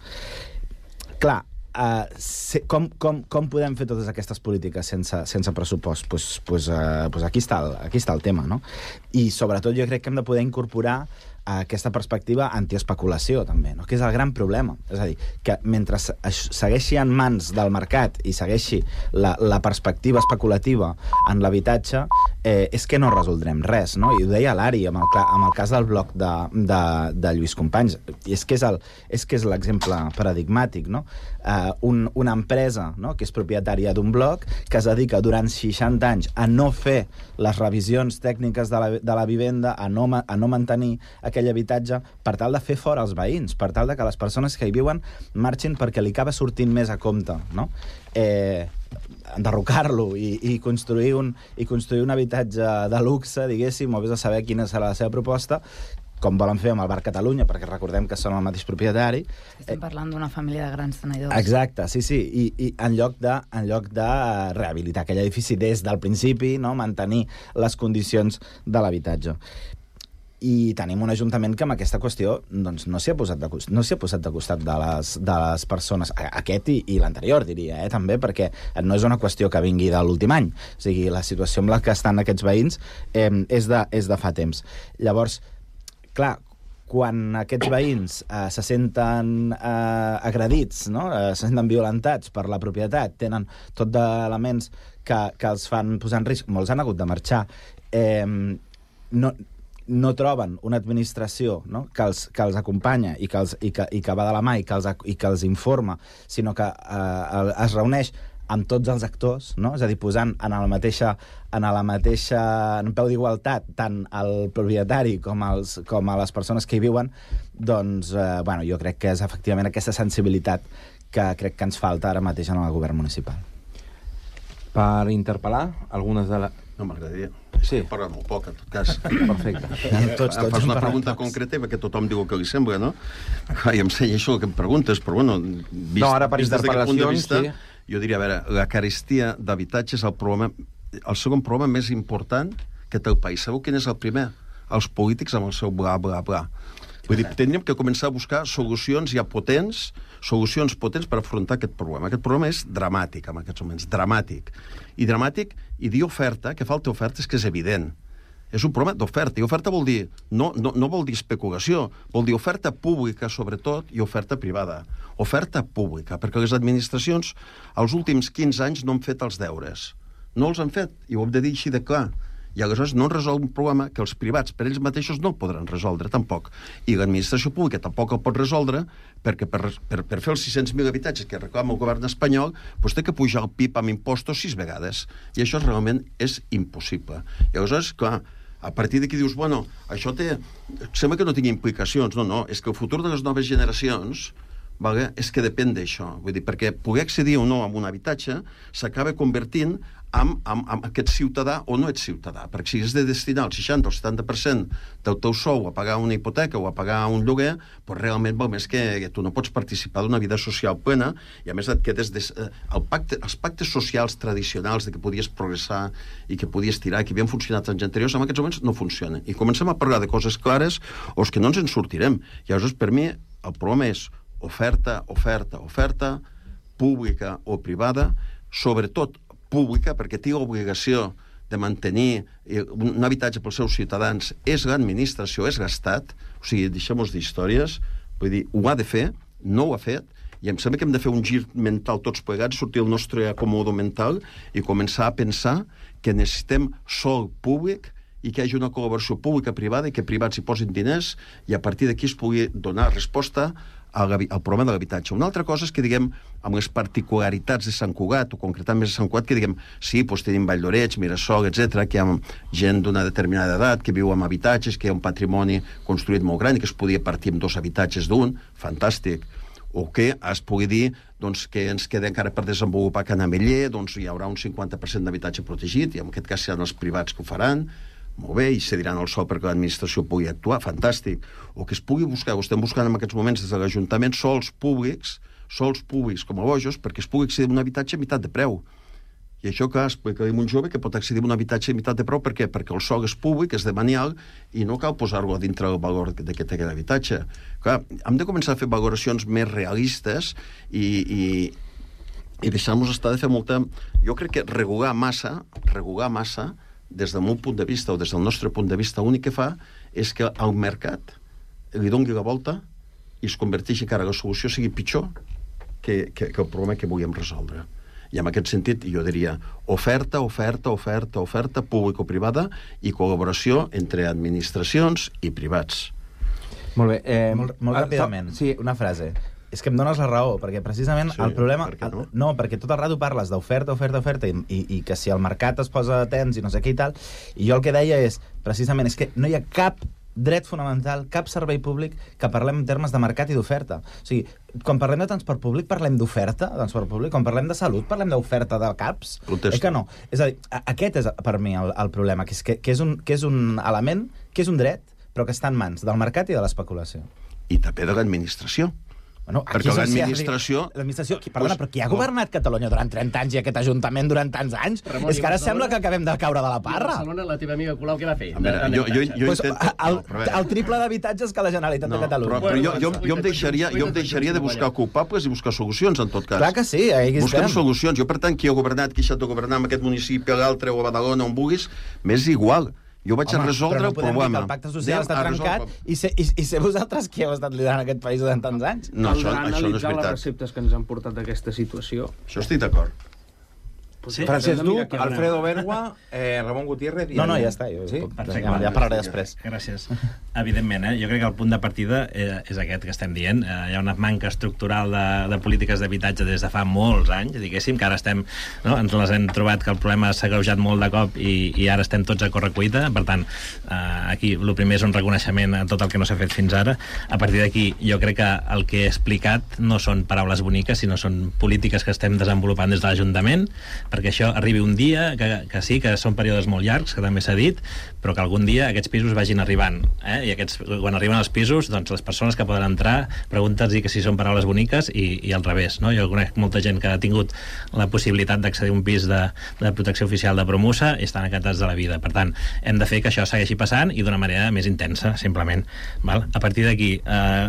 Clar, com podem fer totes aquestes polítiques sense pressupost? Pues aquí està el tema, no? I sobretot jo crec que hem de poder incorporar aquesta perspectiva antiespeculació, també, no? Que és el gran problema. És a dir, que mentre segueixi en mans del mercat i segueixi la perspectiva especulativa en l'habitatge, és que no resoldrem res, no? I ho deia l'Ari amb el cas del bloc de Lluís Companys. I és que és l'exemple paradigmàtic, no? Una empresa, no?, que és propietària d'un bloc, que es dedica durant 60 anys a no fer les revisions tècniques de la vivenda, a no mantenir aquell habitatge, per tal de fer fora els veïns, per tal de que les persones que hi viuen marxin perquè li acaba sortint més a compte, no? Enderrocar-lo i construir un habitatge de luxe, diguéssim, o vés a saber quina serà la seva proposta, com volen fer amb el Bar Catalunya, perquè recordem que són el mateix propietari. Estem parlant d'una família de grans tenidors. Exacte, sí, i en lloc de rehabilitar aquell edifici des del principi, no?, mantenir les condicions de l'habitatge. I tenim un ajuntament que amb aquesta qüestió doncs, no s'hi ha posat de costat de les persones, aquest i l'anterior, diria, també, perquè no és una qüestió que vingui de l'últim any. O sigui, la situació amb la que estan aquests veïns és de fa temps. Llavors, clar, quan aquests veïns se senten agredits, no?, se senten violentats per la propietat, tenen tot d'elements que els fan posar en risc, molts han hagut de marxar, no troben una administració, no?, que els acompanya i que va de la mà i que els informa, sinó que es reuneix amb tots els actors, no?, és a dir, posant en peu d'igualtat tant el propietari com a les persones que hi viuen, doncs, jo crec que és efectivament aquesta sensibilitat que crec que ens falta ara mateix en el govern municipal. Per interpel·lar algunes de les... No, m'agradaria. Sí. Parla molt poc, en tot cas. Perfecte. Fas una pregunta concreta perquè tothom diu el que li sembla, no? I em segueixo el que em preguntes, però bueno, vist ara per interpel·lacions, sí. Jo diria, a veure, la carestia d'habitatge és el segon problema més important que té el país. Sabeu quin és el primer? Els polítics amb el seu bla, bla, bla. Vull dir, tindríem que començar a buscar solucions ja potents per afrontar aquest problema. Aquest problema és dramàtic en aquests moments, dramàtic. I dir oferta, que falta oferta, és que és evident. És un problema d'oferta. I oferta vol dir, no vol dir especulació, vol dir oferta pública, sobretot, i oferta privada. Oferta pública, perquè les administracions els últims 15 anys no han fet els deures. No els han fet, i ho hem de dir així de clar. I aleshores no resol un problema que els privats per ells mateixos no el podran resoldre, tampoc. I l'administració pública tampoc el pot resoldre, perquè per fer els 600.000 habitatges que reclama el govern espanyol, doncs té que pujar el PIB amb impostos 6 vegades. I això realment és impossible. I aleshores, clar, a partir d'aquí dius, bueno, això sembla que no tingui implicacions. No, és que el futur de les noves generacions, vale, és que depèn d'això. Vull dir, perquè poder accedir o no a un habitatge s'acaba convertint amb aquest ciutadà o no ets ciutadà, perquè si has de destinar el 60 o el 70% del teu sou a pagar una hipoteca o a pagar un lloguer, doncs realment val més que tu no pots participar d'una vida social plena, i a més et quedes els pactes socials tradicionals de que podies progressar i que podies tirar, que havien funcionat anys anteriors, en aquests moments no funcionen. I comencem a parlar de coses clares o és que no ens en sortirem. I llavors, per mi, el problema és oferta, pública o privada, sobretot pública, perquè té l'obligació de mantenir un habitatge pels seus ciutadans, és l'administració, és l'Estat, o sigui, deixem-nos d'històries, vull dir, ho ha de fer, no ho ha fet, i em sembla que hem de fer un gir mental tots plegats, sortir del nostre acomodo mental i començar a pensar que necessitem sòl públic i que hi hagi una col·laboració pública-privada i que privats hi posin diners i a partir d'aquí es pugui donar resposta el problema de l'habitatge. Una altra cosa és que, diguem, amb les particularitats de Sant Cugat, o concretant més de Sant Cugat, que, diguem, sí, doncs tenim Vall d'Oreig, Mirasol, etc, que hi ha gent d'una determinada edat que viu en habitatges, que hi ha un patrimoni construït molt gran i que es podia partir amb 2 habitatges d'un, fantàstic. O que es pugui dir doncs, que ens queda encara per desenvolupar Can Ameller, doncs hi haurà un 50% d'habitatge protegit, i en aquest cas seran els privats que ho faran, molt bé, i cediran el sòl perquè l'administració pugui actuar, fantàstic. O que es pugui buscar, ho estem buscant en aquests moments des de l'Ajuntament, sols públics com a bojos, perquè es pugui accedir a un habitatge a meitat de preu. I això, clar, explicarem un jove que pot accedir a un habitatge a meitat de preu, per què? Perquè el sòl és públic, és demanial, i no cal posar-lo a dintre del valor d'aquest habitatge. Clar, hem de començar a fer valoracions més realistes i deixar-nos estar de fer molta... Jo crec que regular massa, des del meu punt de vista o des del nostre punt de vista, l'únic que fa és que al mercat li doni la volta i es converteixi encara la solució sigui pitjor que el problema que vulguem resoldre. I en aquest sentit jo diria oferta público-privada i col·laboració entre administracions i privats. Molt bé. Molt ràpidament, sí, una frase. És que em dones la raó, perquè precisament el problema... No, perquè tot el rato parles d'oferta i que si el mercat es posa tens i no sé què i tal, i jo el que deia és, precisament, és que no hi ha cap dret fonamental, cap servei públic que parlem en termes de mercat i d'oferta. O sigui, quan parlem de transport públic parlem d'oferta, quan parlem de salut parlem d'oferta de CAPs. Protesto. És que no. És a dir, aquest és per mi el problema, que és un element, que és un dret, però que està en mans del mercat i de l'especulació. I també de l'administració. Bueno, perquè l'administració... Perdona, però qui ha governat Catalunya durant 30 anys i aquest Ajuntament durant tants anys? Ramon, és que ara sembla que acabem de caure de la parra. A Barcelona, la teva amiga Colau, què va fer? El triple d'habitatges que la Generalitat de Catalunya. Però jo em deixaria de buscar culpables i buscar solucions, en tot cas. Clar que sí, busquem solucions. Jo, per tant, qui ha governat, qui ha deixat de governar en aquest municipi, a l'altre, o a Badalona, on vulguis, m'és igual. Jo vaig a resoldre el problema. El pacte social està trencat i ser vosaltres qui heu estat liderant aquest país durant tants anys? No, això no és veritat. Les receptes que ens han portat d'aquesta situació. Això estic d'acord. Sí, Francesc Duc, Alfredo Bergua, Ramon Gutiérrez... No, ja està. Ja parlaré després. Gràcies. Evidentment, jo crec que el punt de partida és aquest que estem dient. Hi ha una manca estructural de polítiques d'habitatge des de fa molts anys, diguéssim, que ara estem... Ens les hem trobat que el problema s'ha agreujat molt de cop i ara estem tots a correcuita. Per tant, aquí el primer és un reconeixement a tot el que no s'ha fet fins ara. A partir d'aquí, jo crec que el que he explicat no són paraules boniques, sinó són polítiques que estem desenvolupant des de l'Ajuntament, perquè això arribi un dia, que sí, que són períodes molt llargs, que també s'ha dit, però que algun dia aquests pisos vagin arribant. I quan arriben els pisos, doncs les persones que poden entrar, preguntes-hi que si són paraules boniques i al revés. Jo conec molta gent que ha tingut la possibilitat d'accedir a un pis de protecció oficial de Promusa i estan encantats de la vida. Per tant, hem de fer que això segueixi passant i d'una manera més intensa, simplement. A partir d'aquí,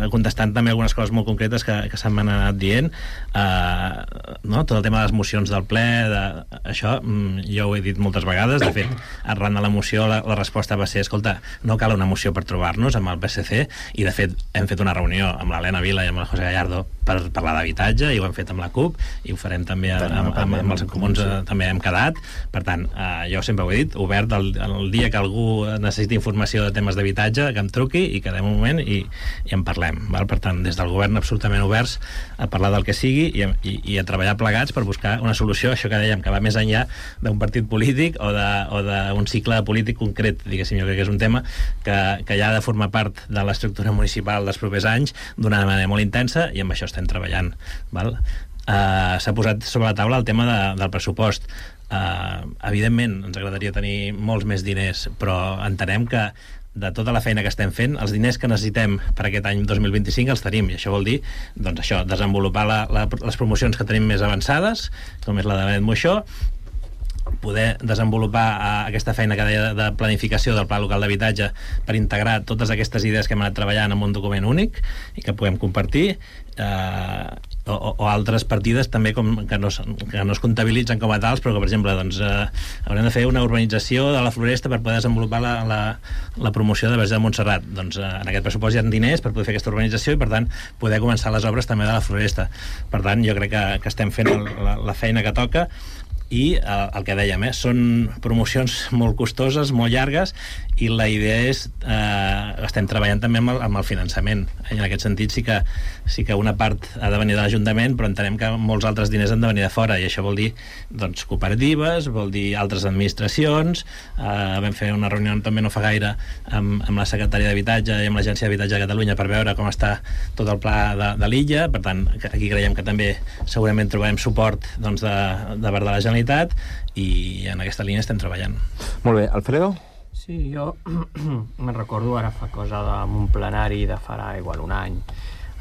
contestant també algunes coses molt concretes que se m'han anat dient, tot el tema de les mocions del ple, això jo ho he dit moltes vegades. De fet, arran de la moció la resposta va ser, escolta, no cal una moció per trobar-nos amb el PSC, i de fet hem fet una reunió amb l'Helena Vila i amb el José Gallardo per parlar d'habitatge, i ho hem fet amb la CUP i ho farem també amb els comuns, també hem quedat. Per tant, jo sempre ho he dit, obert el dia que algú necessiti informació de temes d'habitatge, que em truqui i quedem un moment i en parlem. Per tant, des del govern absolutament oberts a parlar del que sigui i a treballar plegats per buscar una solució, això que dèiem, que va més enllà d'un partit polític o d'un cicle polític concret, diguéssim. Jo crec que és un tema que ja ha de formar part de l'estructura municipal dels propers anys d'una manera molt intensa, i amb això estem treballant. S'ha posat sobre la taula el tema del pressupost. Evidentment ens agradaria tenir molts més diners, però entenem que de tota la feina que estem fent, els diners que necessitem per aquest any 2025 els tenim, i això vol dir desenvolupar les promocions que tenim més avançades, com és la de Benet Moixó, poder desenvolupar aquesta feina que deia de planificació del Pla Local d'Habitatge per integrar totes aquestes idees que hem anat treballant en un document únic i que puguem compartir, o altres partides també que no es comptabilitzen com a tals, però que, per exemple, haurem de fer una urbanització de la Floresta per poder desenvolupar la promoció de Verge de Montserrat. Doncs en aquest pressupost hi ha diners per poder fer aquesta urbanització i, per tant, poder començar les obres també de la Floresta. Per tant, jo crec que estem fent la feina que toca. i el que dèiem, són promocions molt costoses, molt llargues, i la idea és estem treballant també amb el finançament. En aquest sentit sí que una part ha de venir de l'Ajuntament, però entenem que molts altres diners han de venir de fora, i això vol dir doncs, cooperatives, vol dir altres administracions. Vam fer una reunió també no fa gaire amb la secretària d'Habitatge i amb l'Agència d'Habitatge de Catalunya per veure com està tot el pla de l'illa. Per tant, aquí creiem que també segurament trobarem suport doncs, de part de la Generalitat, i en aquesta línia estem treballant. Molt bé. Alfredo? Sí, jo me'n recordo ara fa cosa amb un plenari de farà igual un any,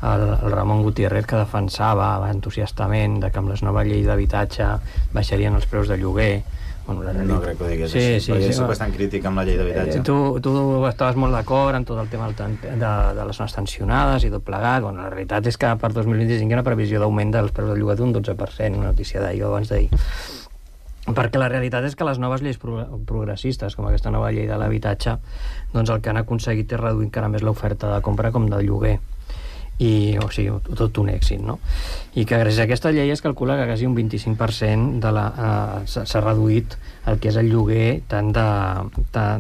el Ramon Gutiérrez, que defensava entusiastament de que amb les noves lleis d'habitatge baixarien els preus de lloguer. No crec que ho digués així, perquè soc bastant crític amb la llei d'habitatge. Tu estaves molt d'acord amb tot el tema de les zones tensionades i tot plegat. La realitat és que per 2025 hi ha una previsió d'augment dels preus del lloguer d'un 12%, una notícia d'ahir o abans d'ahir. Perquè la realitat és que les noves lleis progressistes, com aquesta nova llei de l'habitatge, doncs el que han aconseguit és reduir encara més l'oferta de compra com de lloguer. O sigui, tot un èxit, no? I que gràcies a aquesta llei es calcula que quasi un 25% s'ha reduït el que és el lloguer tan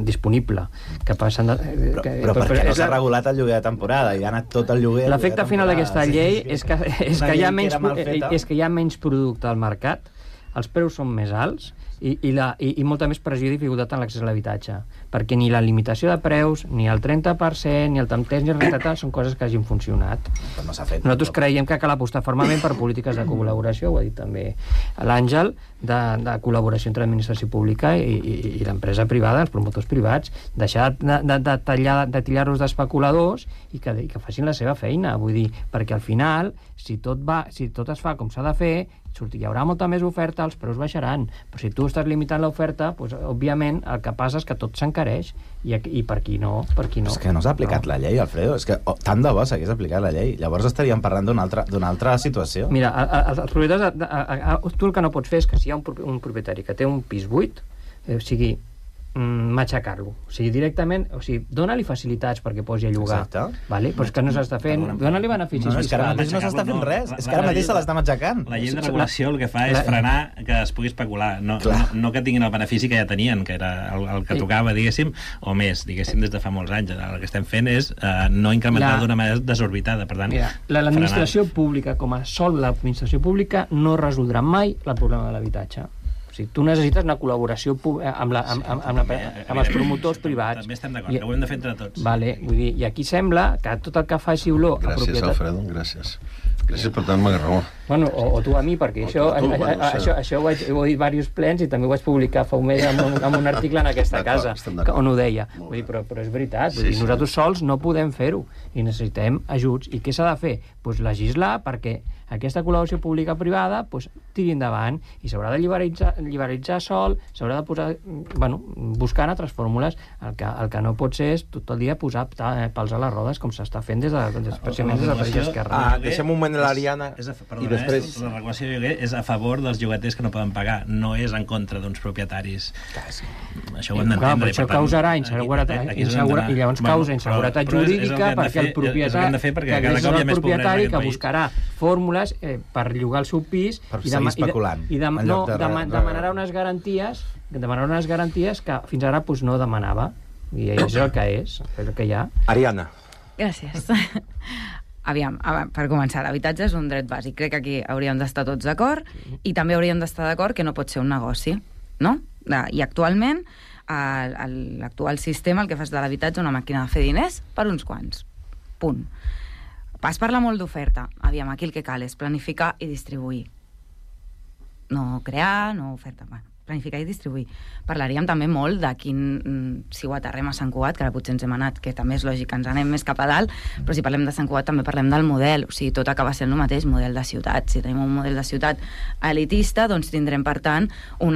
disponible, que passen però perquè no s'ha regulat el lloguer de temporada i ha anat tot el lloguer. L'efecte final d'aquesta llei és que hi ha menys producte al mercat, els preus són més alts i molta més pressió i dificultat en l'accés a l'habitatge, perquè ni la limitació de preus, ni el 30%, ni el temps ni el rentatat són coses que hagin funcionat. No s'ha fet. Nosaltres creiem que cal apostar fermament per polítiques de col·laboració, ho ha dit també l'Àngel, de col·laboració entre l'administració pública i l'empresa privada, els promotors privats, deixar de tillar-los d'especuladors i que facin la seva feina, vull dir, perquè al final, si tot es fa com s'ha de fer, hi haurà molta més oferta, els preus baixaran, però si tu estàs limitant l'oferta, doncs, òbviament el que passa és que tot s'encareix i per qui no. És que no s'ha aplicat la llei, Alfredo, és que tant de bo s'hagués aplicat la llei, llavors estaríem parlant d'una altra situació. Mira, els propietaris, tu el que no pots fer és que si hi ha un propietari que té un pis buit, o sigui, matxacar-lo, o sigui, directament, o sigui, dona-li facilitats perquè posi a llogar. Vale? Però és que no s'està fent, dona-li beneficis fiscals. És que ara mateix no s'està fent res, és que ara mateix se l'està matxacant. La llei de regulació el que fa és frenar que es pugui especular, no que tinguin el benefici que ja tenien, que era el que tocava, diguéssim, o més, diguéssim, des de fa molts anys. El que estem fent és no incrementar d'una manera desorbitada, per tant... L'administració pública, com a sol l'administració pública, no resoldrà mai el problema de l'habitatge. O sigui, tu necessites una col·laboració amb els promotors privats. També estem d'acord, que ho hem de fer entre tots. Vale, vull dir, i aquí sembla que tot el que faci olor a propietat... Gràcies, Alfredo, gràcies. Gràcies per tant-me raó. Bueno, o tu a mi, perquè això ho he dit diversos plens i també ho vaig publicar fa un mes amb un article en aquesta casa, on ho deia. Vull dir, però és veritat, nosaltres sols no podem fer-ho i necessitem ajuts. I què s'ha de fer? Doncs legislar perquè aquesta col·laboració pública-privada tiri endavant i s'haurà de liberalitzar sol, s'haurà de posar, buscant altres fórmules. El que no pot ser és tot el dia posar pals a les rodes com s'està fent especialment des del Partit d'Esquerra. Deixem un moment l'Ariana i després... La regulació de lloguer és a favor dels llogaters que no poden pagar, no és en contra d'uns propietaris. Això ho hem d'entendre. Però això causarà inseguretat i llavors causa inseguretat jurídica perquè el propietari que buscarà fórmules per llogar el seu pis i demanarà unes garanties que fins ara no demanava, i és el que és el que hi ha. Ariana. Gràcies. Aviam, per començar, l'habitatge és un dret bàsic. Crec que aquí hauríem d'estar tots d'acord i també hauríem d'estar d'acord que no pot ser un negoci, no? I actualment l'actual sistema el que fa és de l'habitatge una màquina de fer diners per uns quants. Punt. Es parla molt d'oferta. Aviam, aquí el que cal és planificar i distribuir. No crear, no oferta. Bueno, planificar i distribuir. Parlaríem també molt de si ho aterrem a Sant Cugat, que ara potser ens hem anat, que també és lògic que ens anem més cap a dalt, però si parlem de Sant Cugat també parlem del model, o sigui, tot acaba sent el mateix, model de ciutat. Si tenim un model de ciutat elitista, doncs tindrem, per tant, un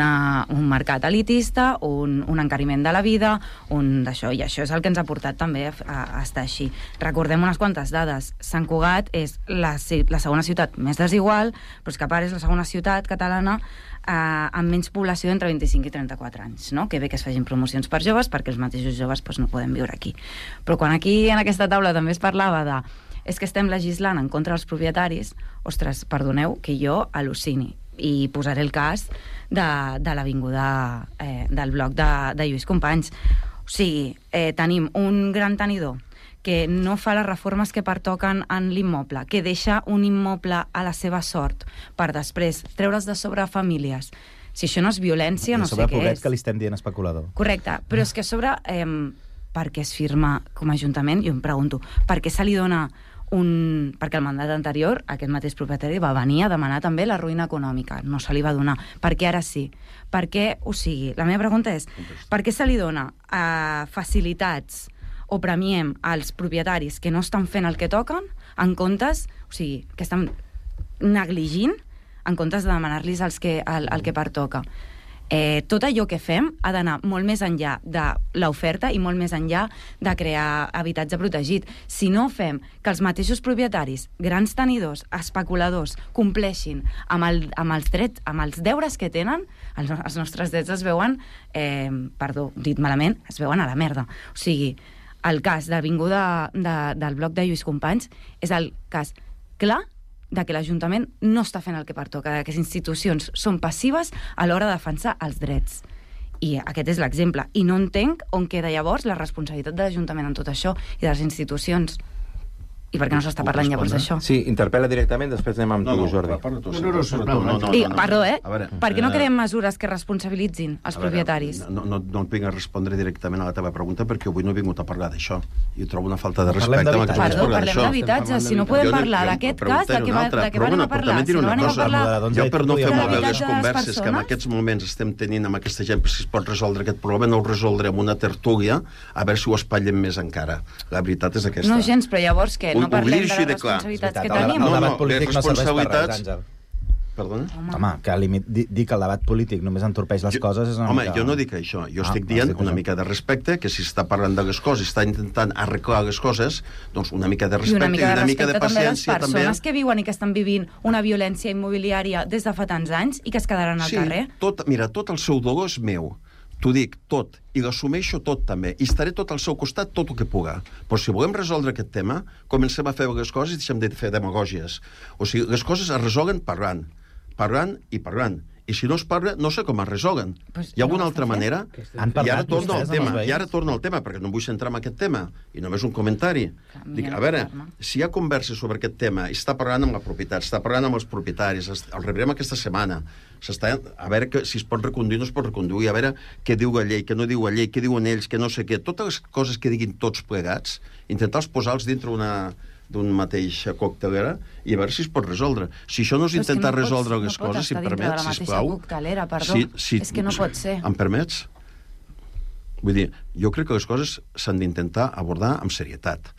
mercat elitista, un encariment de la vida, d'això, i això és el que ens ha portat també a estar així. Recordem unes quantes dades. Sant Cugat és la segona ciutat més desigual, però és que a part és la segona ciutat catalana amb menys població entre 25 i 34 anys, no? Que bé que es facin promocions per joves, perquè els mateixos joves no poden viure aquí. Però quan aquí en aquesta taula també es parlava és que estem legislant en contra dels propietaris, ostres, perdoneu que jo al·lucini. i posaré el cas de l'avinguda del bloc de Lluís Companys. O sigui, tenim un gran tenidor que no fa les reformes que pertoquen en l'immoble, que deixa un immoble a la seva sort per després treure's de sobre famílies. Si això no és violència, no sé què és. I sobre pobret que li estem dient especulador. Correcte, però és que a sobre, per què es firma com a Ajuntament? Jo em pregunto, per què se li dona perquè el mandat anterior, aquest mateix propietari va venir a demanar també la ruïna econòmica, no se li va donar. Per què ara sí? Per què, o sigui, la meva pregunta és, per què se li dona facilitats o premiem als propietaris que no estan fent el que toquen en comptes, o sigui, que estan negligint en comptes de demanar-los el que pertoca. Tot allò que fem ha d'anar molt més enllà de l'oferta i molt més enllà de crear habitatge protegit. Si no fem que els mateixos propietaris, grans tenidors, especuladors, compleixin amb els drets, amb els deures que tenen, els nostres drets es veuen, perdó, dit malament, es veuen a la merda. O sigui, el cas de l'avinguda del bloc de Lluís Companys és el cas clar de que l'Ajuntament no està fent el que pertoca, que les institucions són passives a l'hora de defensar els drets. I aquest és l'exemple. I no entenc on queda llavors la responsabilitat de l'Ajuntament en tot això i de les institucions. I per què no s'està parlant llavors d'això? Sí, interpel·la directament, després anem amb tu, Jordi. Perdó, per què no creem mesures que responsabilitzin els propietaris? No et vinc a respondre directament a la teva pregunta perquè avui no he vingut a parlar d'això. I ho trobo una falta de respecte. Perdó, parlem d'habitatge. Si no podem parlar d'aquest cas, de què van a parlar? Si no van a parlar jo per no fer malbé les converses que en aquests moments estem tenint amb aquesta gent, si es pot resoldre aquest problema, no ho resoldrem amb una tertúlia, a veure si ho espatllem més encara. La veritat és aquesta. No gens, però llavors què? No parlem de les responsabilitats que tenim? El debat polític no serveix per res, Àngel. Perdona? Home, que dir que el debat polític només entorpeix les coses és una mica... Home, jo no dic això. Jo estic dient una mica de respecte, que si està parlant de les coses, està intentant arreglar les coses, doncs una mica de respecte i una mica de paciència també. Les persones que viuen i que estan vivint una violència immobiliària des de fa tants anys i que es quedaran al carrer. Mira, tot el seu dolor és meu. T'ho dic, tot. I l'assumeixo tot, també. I estaré tot al seu costat, tot el que puga. Però si volem resoldre aquest tema, comencem a fer les coses i deixem de fer demagògies. O sigui, les coses es resolen parlant. Parlant i parlant. I si no es parla, no sé com es resolen. Hi ha alguna altra manera? I ara torno al tema, perquè no vull centrar en aquest tema. I només un comentari. Dic, a veure, si hi ha converses sobre aquest tema, i està parlant amb la propietat, està parlant amb els propietaris, el rebrem aquesta setmana, a veure si es pot reconduir o no es pot reconduir, a veure què diu la llei, què no diu la llei, què diuen ells, què no sé què. Totes les coses que diguin tots plegats, intentar-los posar-los dintre d'un mateix coctelera i a veure si es pot resoldre. Si això no és intentar resoldre les coses, si em permets, sisplau... És que no pot ser. Em permets? Vull dir, jo crec que les coses s'han d'intentar abordar amb serietat.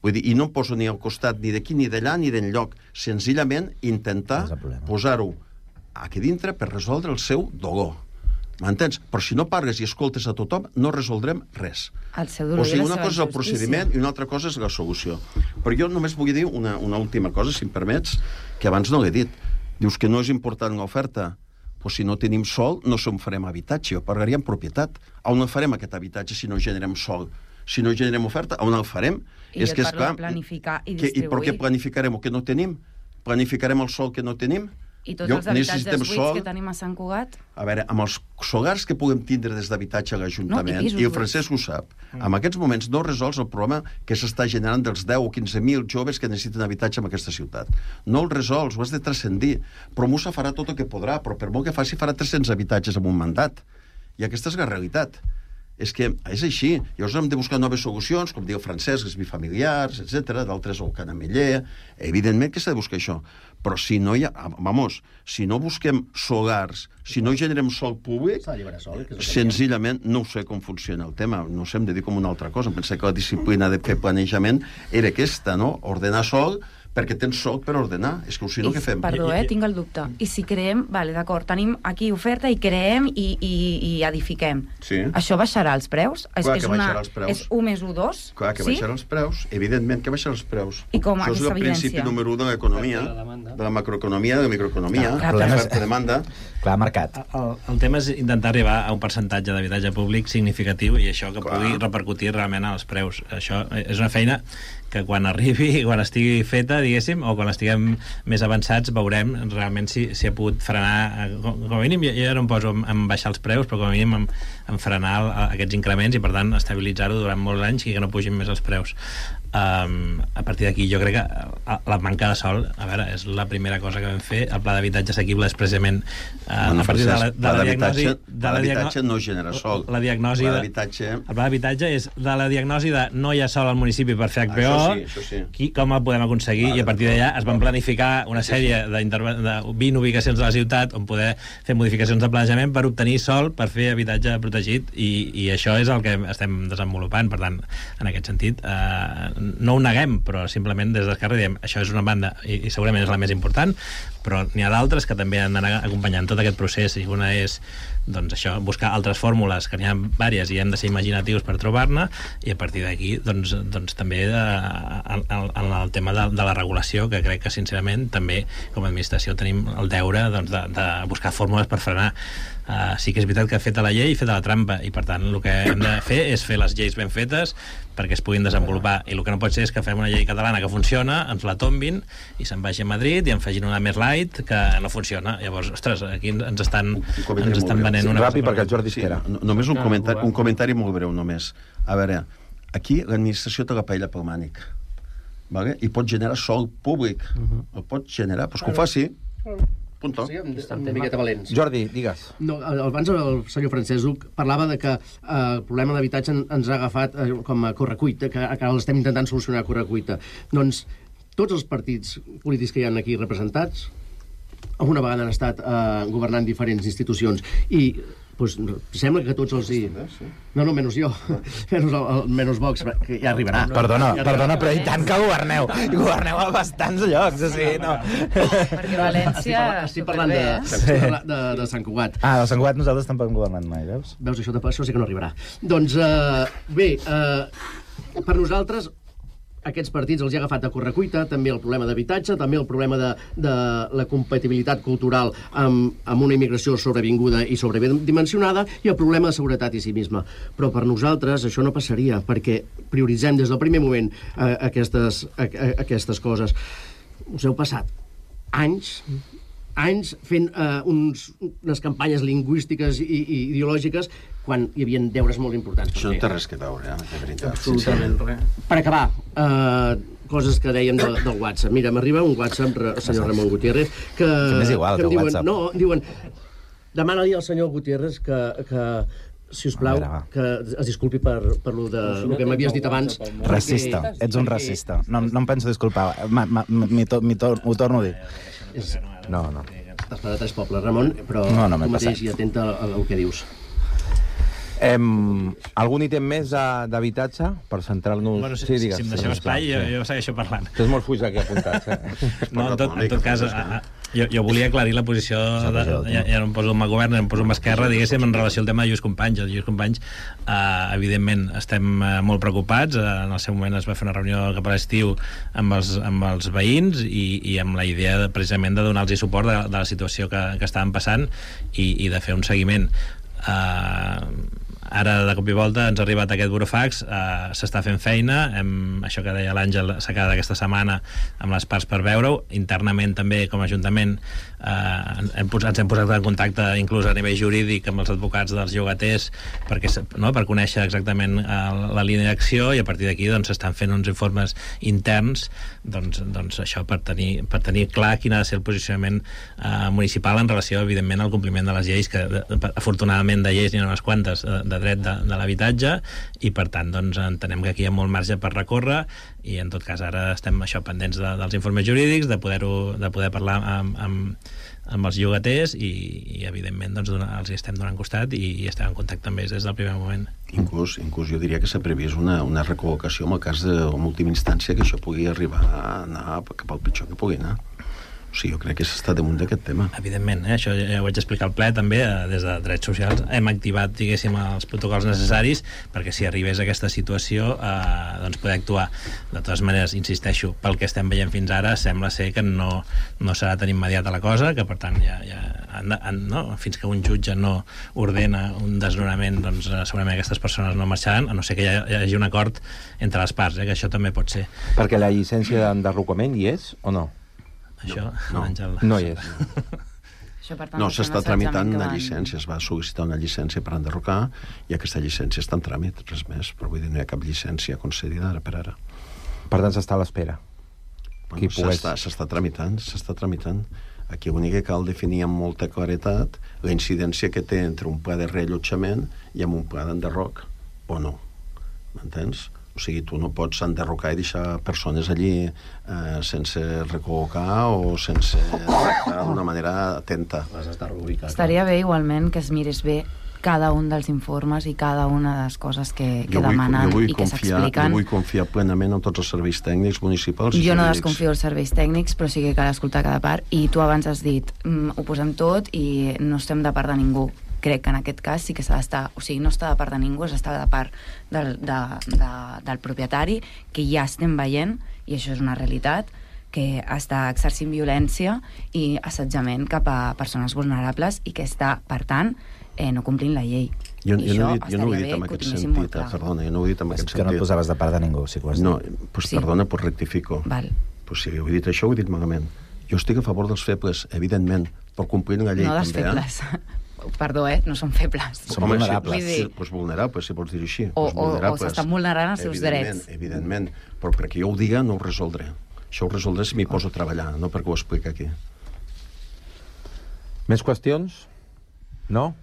Vull dir, i no em poso ni al costat ni d'aquí, ni d'allà, ni d'enlloc. Senzillament intentar posar-ho aquí dintre per resoldre el seu dolor. M'entens? Però si no parles i escoltes a tothom, no resoldrem res. El seu dolor. O sigui, una cosa és el procediment i una altra cosa és la solució. Però jo només vull dir una última cosa, si em permets, que abans no l'he dit. Dius que no és important l'oferta. Pues si no tenim sol, no se'n farem habitatge, o pagaríem propietat. On farem aquest habitatge si no generem sol? Si no generem oferta, on el farem? I jo et parlo de planificar i distribuir. I per què planificarem el que no tenim? Planificarem el sol que no tenim? I tots els habitatges buits que tenim a Sant Cugat? A veure, amb els solars que puguem tindre des d'habitatge a l'Ajuntament, i el Francesc ho sap, en aquests moments no resols el problema que s'està generant dels 10 o 15.000 joves que necessiten habitatge en aquesta ciutat. No el resols, ho has de transcendir. Però Musa farà tot el que podrà, però per molt que faci farà 300 habitatges en un mandat. I aquesta és la realitat. És que és així. Llavors hem de buscar noves solucions, com diu Francesc, els bifamiliars, etc. D'altres el canameller. Evidentment que s'ha de buscar això. Però si no hi ha... si no busquem solars, si no generem sol públic, senzillament no sé com funciona el tema. No sé, hem de dir com una altra cosa. Em penso que la disciplina de fer planejament era aquesta, no? Ordenar sol perquè tens sol per ordenar. És que si no, què fem? Perdó, tinc el dubte. I si creem, vale, d'acord, tenim aquí oferta i creem i edifiquem. Sí. Això baixarà els preus? Clar que baixarà els preus. És 1 més 1, 2? Clar que baixarà els preus. Evidentment que baixarà els preus. I com aquesta evidència? Això és el principi número 1 de l'economia, de la macroeconomia, de la microeconomia, de l'oferta-demanda. Clar, mercat. El tema és intentar arribar a un percentatge d'habitatge públic significatiu i això que pugui repercutir realment als preus. Això és una feina que quan arribi, quan estigui feta, diguéssim, o quan estiguem més avançats, veurem realment si ha pogut frenar, com a mínim, jo no em poso en baixar els preus, però com a mínim en frenar aquests increments i, per tant, estabilitzar-ho durant molts anys i que no pugin més els preus. A partir d'aquí jo crec que la manca de sol, a veure, és la primera cosa que vam fer. El pla d'habitatge assequible és precisament a partir de la diagnosi... L'habitatge no genera sol. El pla d'habitatge és de la diagnosi de no hi ha sol al municipi per fer HPO, això sí. Com el podem aconseguir, i a partir d'allà es van planificar una sèrie de 20 ubicacions de la ciutat on poder fer modificacions de planejament per obtenir sol, per fer habitatge protegit, i això és el que estem desenvolupant. Per tant, en aquest sentit, no ho neguem, però simplement des d'Esquerra diem això és una banda i segurament és la més important, però n'hi ha d'altres que també han d'anar acompanyant tot aquest procés, i una és doncs això, buscar altres fórmules, que n'hi ha diverses i hem de ser imaginatius per trobar-ne, i a partir d'aquí doncs també en el tema de la regulació, que crec que sincerament també com a administració tenim el deure de buscar fórmules per frenar. Sí que és veritat que ha fet la llei i fet la trampa, i per tant el que hem de fer és fer les lleis ben fetes perquè es puguin desenvolupar, i el que no pot ser és que fem una llei catalana que funciona, ens la tombin i se'n vagi a Madrid i en facin una més light que no funciona. Llavors, ostres, aquí ens estan venent una... Ràpid, perquè el Jordi espera. Només un comentari molt breu, només. A veure, aquí l'administració té la paella pel mànic, i pot generar sol públic, el pot generar, doncs que ho faci. Punto. Sí, una miqueta valents. Jordi, digues. No, abans el senyor Francesc parlava de que el problema d'habitatge ens ha agafat com a correcuita, que ara l'estem intentant solucionar a correcuita. Doncs tots els partits polítics que hi ha aquí representats alguna vegada han estat governant diferents institucions, i pues, sembla que tots els... No, menys jo. Menys Vox, que ja arribarà. Perdona, però i tant que governeu. Governeu a bastants llocs, o sigui, no. Perquè València... Estic parlant de Sant Cugat. De Sant Cugat nosaltres tampoc hem governat mai, veus? Veus, això sí que no arribarà. Doncs, bé, per nosaltres... Aquests partits els hi ha agafat a correcuita, també el problema d'habitatge, també el problema de la compatibilitat cultural amb una immigració sobrevinguda i sobredimensionada, i el problema de seguretat i civisme. Però per nosaltres això no passaria, perquè prioritzem des del primer moment aquestes coses. Us heu passat anys fent unes campanyes lingüístiques i ideològiques quan hi havia deures molt importants. Això no té res que veure, de veritat. Absolutament res. Per acabar, coses que dèiem del WhatsApp. Mira, m'arriba un WhatsApp, senyor Ramon Gutiérrez, que... És igual que el WhatsApp. No, diuen... Demana-li al senyor Gutiérrez que si us plau, que es disculpi per lo que m'havies dit abans. Racista, ets un racista. No em penso disculpar, ho torno a dir. No. Estàs per a tres pobles, Ramon, però tu mateix i atenta al que dius. Algun ítem més d'habitatge per centrar-nos... Bueno, si em deixeu espai, jo segueixo parlant. Tens molt fuix aquí apuntats, No, en tot cas, jo volia aclarir la posició, ja no em poso amb el govern, em poso amb Esquerra, diguéssim, en relació al tema de Lluís Companys. El Lluís Companys, evidentment, estem molt preocupats. En el seu moment es va fer una reunió cap a l'estiu amb els veïns i amb la idea precisament de donar-los suport de la situació que estaven passant i de fer un seguiment. Ara, de cop i volta, ens ha arribat aquest burofax, s'està fent feina, això que deia l'Àngel s'ha quedat aquesta setmana amb les parts per veure-ho. Internament també, com a Ajuntament, ens hem posat en contacte inclús a nivell jurídic amb els advocats dels llogaters per conèixer exactament la línia d'acció, i a partir d'aquí s'estan fent uns informes interns això per tenir clar quin ha de ser el posicionament municipal en relació, evidentment, al compliment de les lleis, que afortunadament de lleis n'hi ha unes quantes de dret de l'habitatge, i per tant entenem que aquí hi ha molt marge per recórrer, i en tot cas ara estem pendents dels informes jurídics, de poder parlar amb els llogaters, i evidentment els estem donant costat i estem en contacte amb ells des del primer moment. Inclús jo diria que s'ha previst una recol·locació en el cas de, en última instància, que això pugui arribar a anar cap al pitjor que pugui anar. O sigui, jo crec que s'està damunt d'aquest tema. Evidentment, això ja ho vaig explicar al ple també, des de Drets Socials hem activat, diguéssim, els protocols necessaris perquè si arribés a aquesta situació doncs poder actuar. De totes maneres, insisteixo, pel que estem veient fins ara sembla ser que no serà tan immediata la cosa, que per tant fins que un jutge no ordena un desnonament, doncs segurament aquestes persones no marxaran, a no ser que hi hagi un acord entre les parts, que això també pot ser. Perquè la llicència d'enderrocament hi és o no? Això, Àngel. No hi és. No, s'està tramitant una llicència, es va sol·licitar una llicència per enderrocar i aquesta llicència està en tràmit, res més, però vull dir, no hi ha cap llicència concedida ara per ara. Per tant, s'està a l'espera. S'està tramitant. Aquí l'únic que cal definir amb molta claretat la incidència que té entre un pla de reallotjament i amb un pla d'enderroc, o no. M'entens? O sigui, tu no pots enderrocar i deixar persones allí sense recol·locar o sense d'una manera atenta. Estaria bé, igualment, que es mirés bé cada un dels informes i cada una de les coses que demanen i que s'expliquen. Jo vull confiar plenament en tots els serveis tècnics municipals. Jo no desconfio dels serveis tècnics, però sí que cal escoltar cada part. I tu abans has dit, ho posem tot i no estem de part de ningú. Crec que en aquest cas sí que s'ha d'estar, o sigui, no està de part de ningú, s'està de part del propietari, que ja estem veient, i això és una realitat, que està exercint violència i assetjament cap a persones vulnerables i que està, per tant, no complint la llei. Jo no ho he dit en aquest sentit, perdona, jo no ho he dit en aquest sentit. Que no et posaves de part de ningú, si ho has dit. No, doncs perdona, doncs rectifico. Doncs si ho he dit això, ho he dit malament. Jo estic a favor dels febles, evidentment, per complir la llei també. No dels febles. Perdó, no són febles. Són vulnerables. Doncs vulnerables, si pots dir així. O s'estan vulnerant els seus drets. Evidentment, però perquè jo ho diga no ho resoldré. Això ho resoldré si m'hi poso a treballar, no perquè ho expliqui aquí. Més qüestions? No?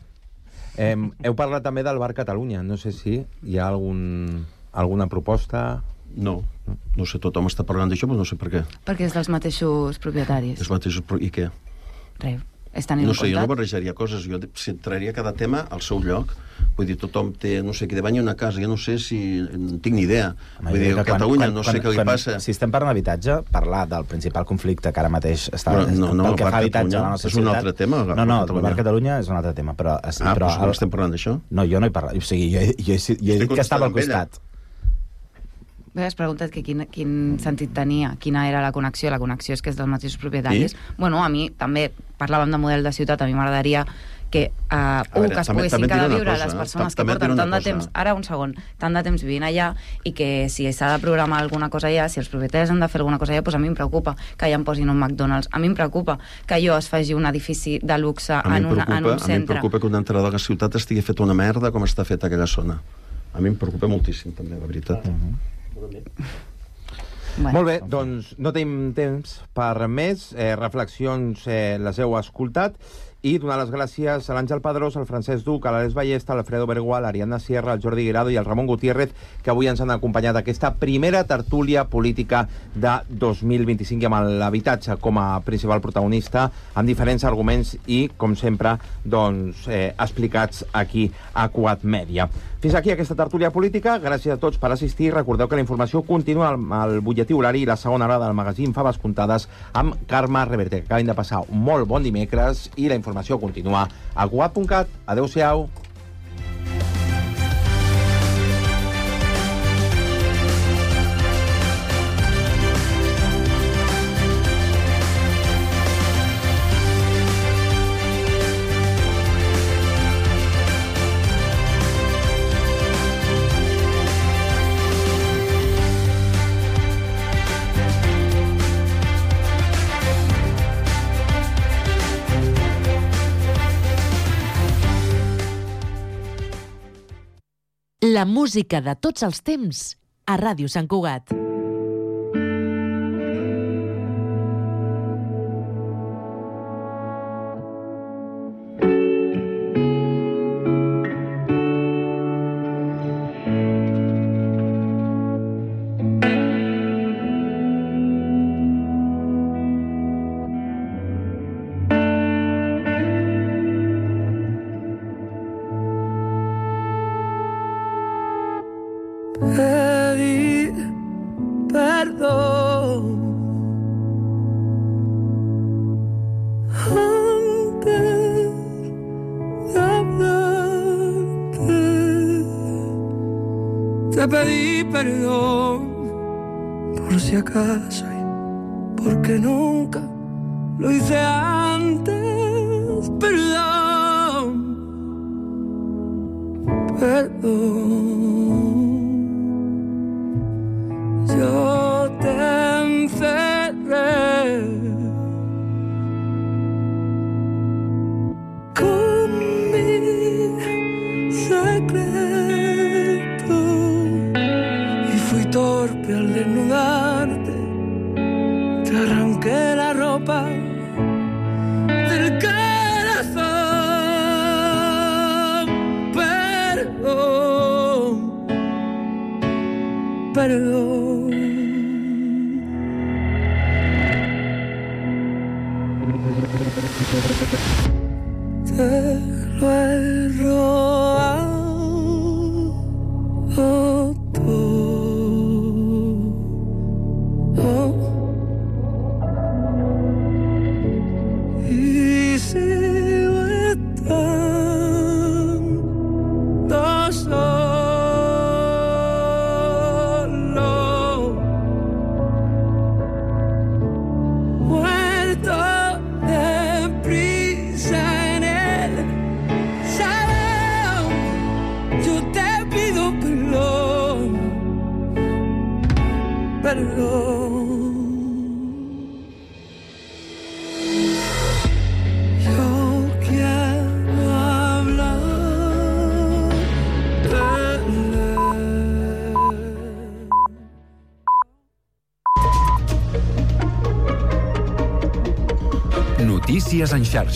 Heu parlat també del Bar Catalunya. No sé si hi ha alguna proposta... No sé, tothom està parlant d'això, però no sé per què. Perquè és dels mateixos propietaris. I què? Res. No sé, jo no barrejaria coses, jo centraria cada tema al seu lloc. Vull dir, tothom té, no sé, qui de banya una casa, jo no sé si... no tinc ni idea. Vull dir, a Catalunya no sé què li passa... Si estem parlant d'habitatge, parlar del principal conflicte que ara mateix està... No, el Bar Catalunya és un altre tema. No, el Bar Catalunya és un altre tema, però... Però no estem parlant d'això? No, jo no he parlat, o sigui, jo he dit que estava al costat. Has preguntat que quin sentit tenia, quina era la connexió. La connexió és que és dels mateixos propietaris. Bueno, a mi també parlàvem de model de ciutat, a mi m'agradaria que que es poguessin quedar a viure les persones que porten tant de temps, ara un segon, tant de temps vivint allà, i que si s'ha de programar alguna cosa allà, si els propietaris han de fer alguna cosa allà, doncs a mi em preocupa que allà em posin un McDonald's, a mi em preocupa que allò es faci un edifici de luxe en un centre. A mi em preocupa que una entrada de la ciutat estigui feta una merda com està feta aquella zona. A mi em preocupa moltíssim també, la veritat. Molt bé, doncs no tenim temps per més. Reflexions les heu escoltat. I donar les gràcies a l'Àngel Padrós, al Francesc Duc, a l'Àlex Ballesta, a l'Alfredo Bergual, a l'Ariadna Sierra, al Jordi Guirado i al Ramon Gutiérrez, que avui ens han acompanyat a aquesta primera tertúlia política de 2025 amb l'habitatge com a principal protagonista, amb diferents arguments i, com sempre, doncs, explicats aquí a Cugat Mèdia. Fins aquí aquesta tertúlia política. Gràcies a tots per assistir. Recordeu que la informació continua al butlletí horari i la segona hora del magazín Faves Comptades amb Carme Reverte, que acaben de passar un molt bon dimecres, i la informació continua a cugat.cat. Adéu-siau. La música de tots els temps a Ràdio Sant Cugat. te pedí perdón por si acaso y porque nunca lo hice antes. Perdón, perdón, yo te encerré con mi secreto y fui torpe al desnudarte, te arranqué la ropa del corazón. Perdón, perdón. Te lo he robado todo y sigo estando solo, muerto de prisa en el salón. Yo te pido perdón, perdón. Yo quiero hablar de Notícies en xarxa.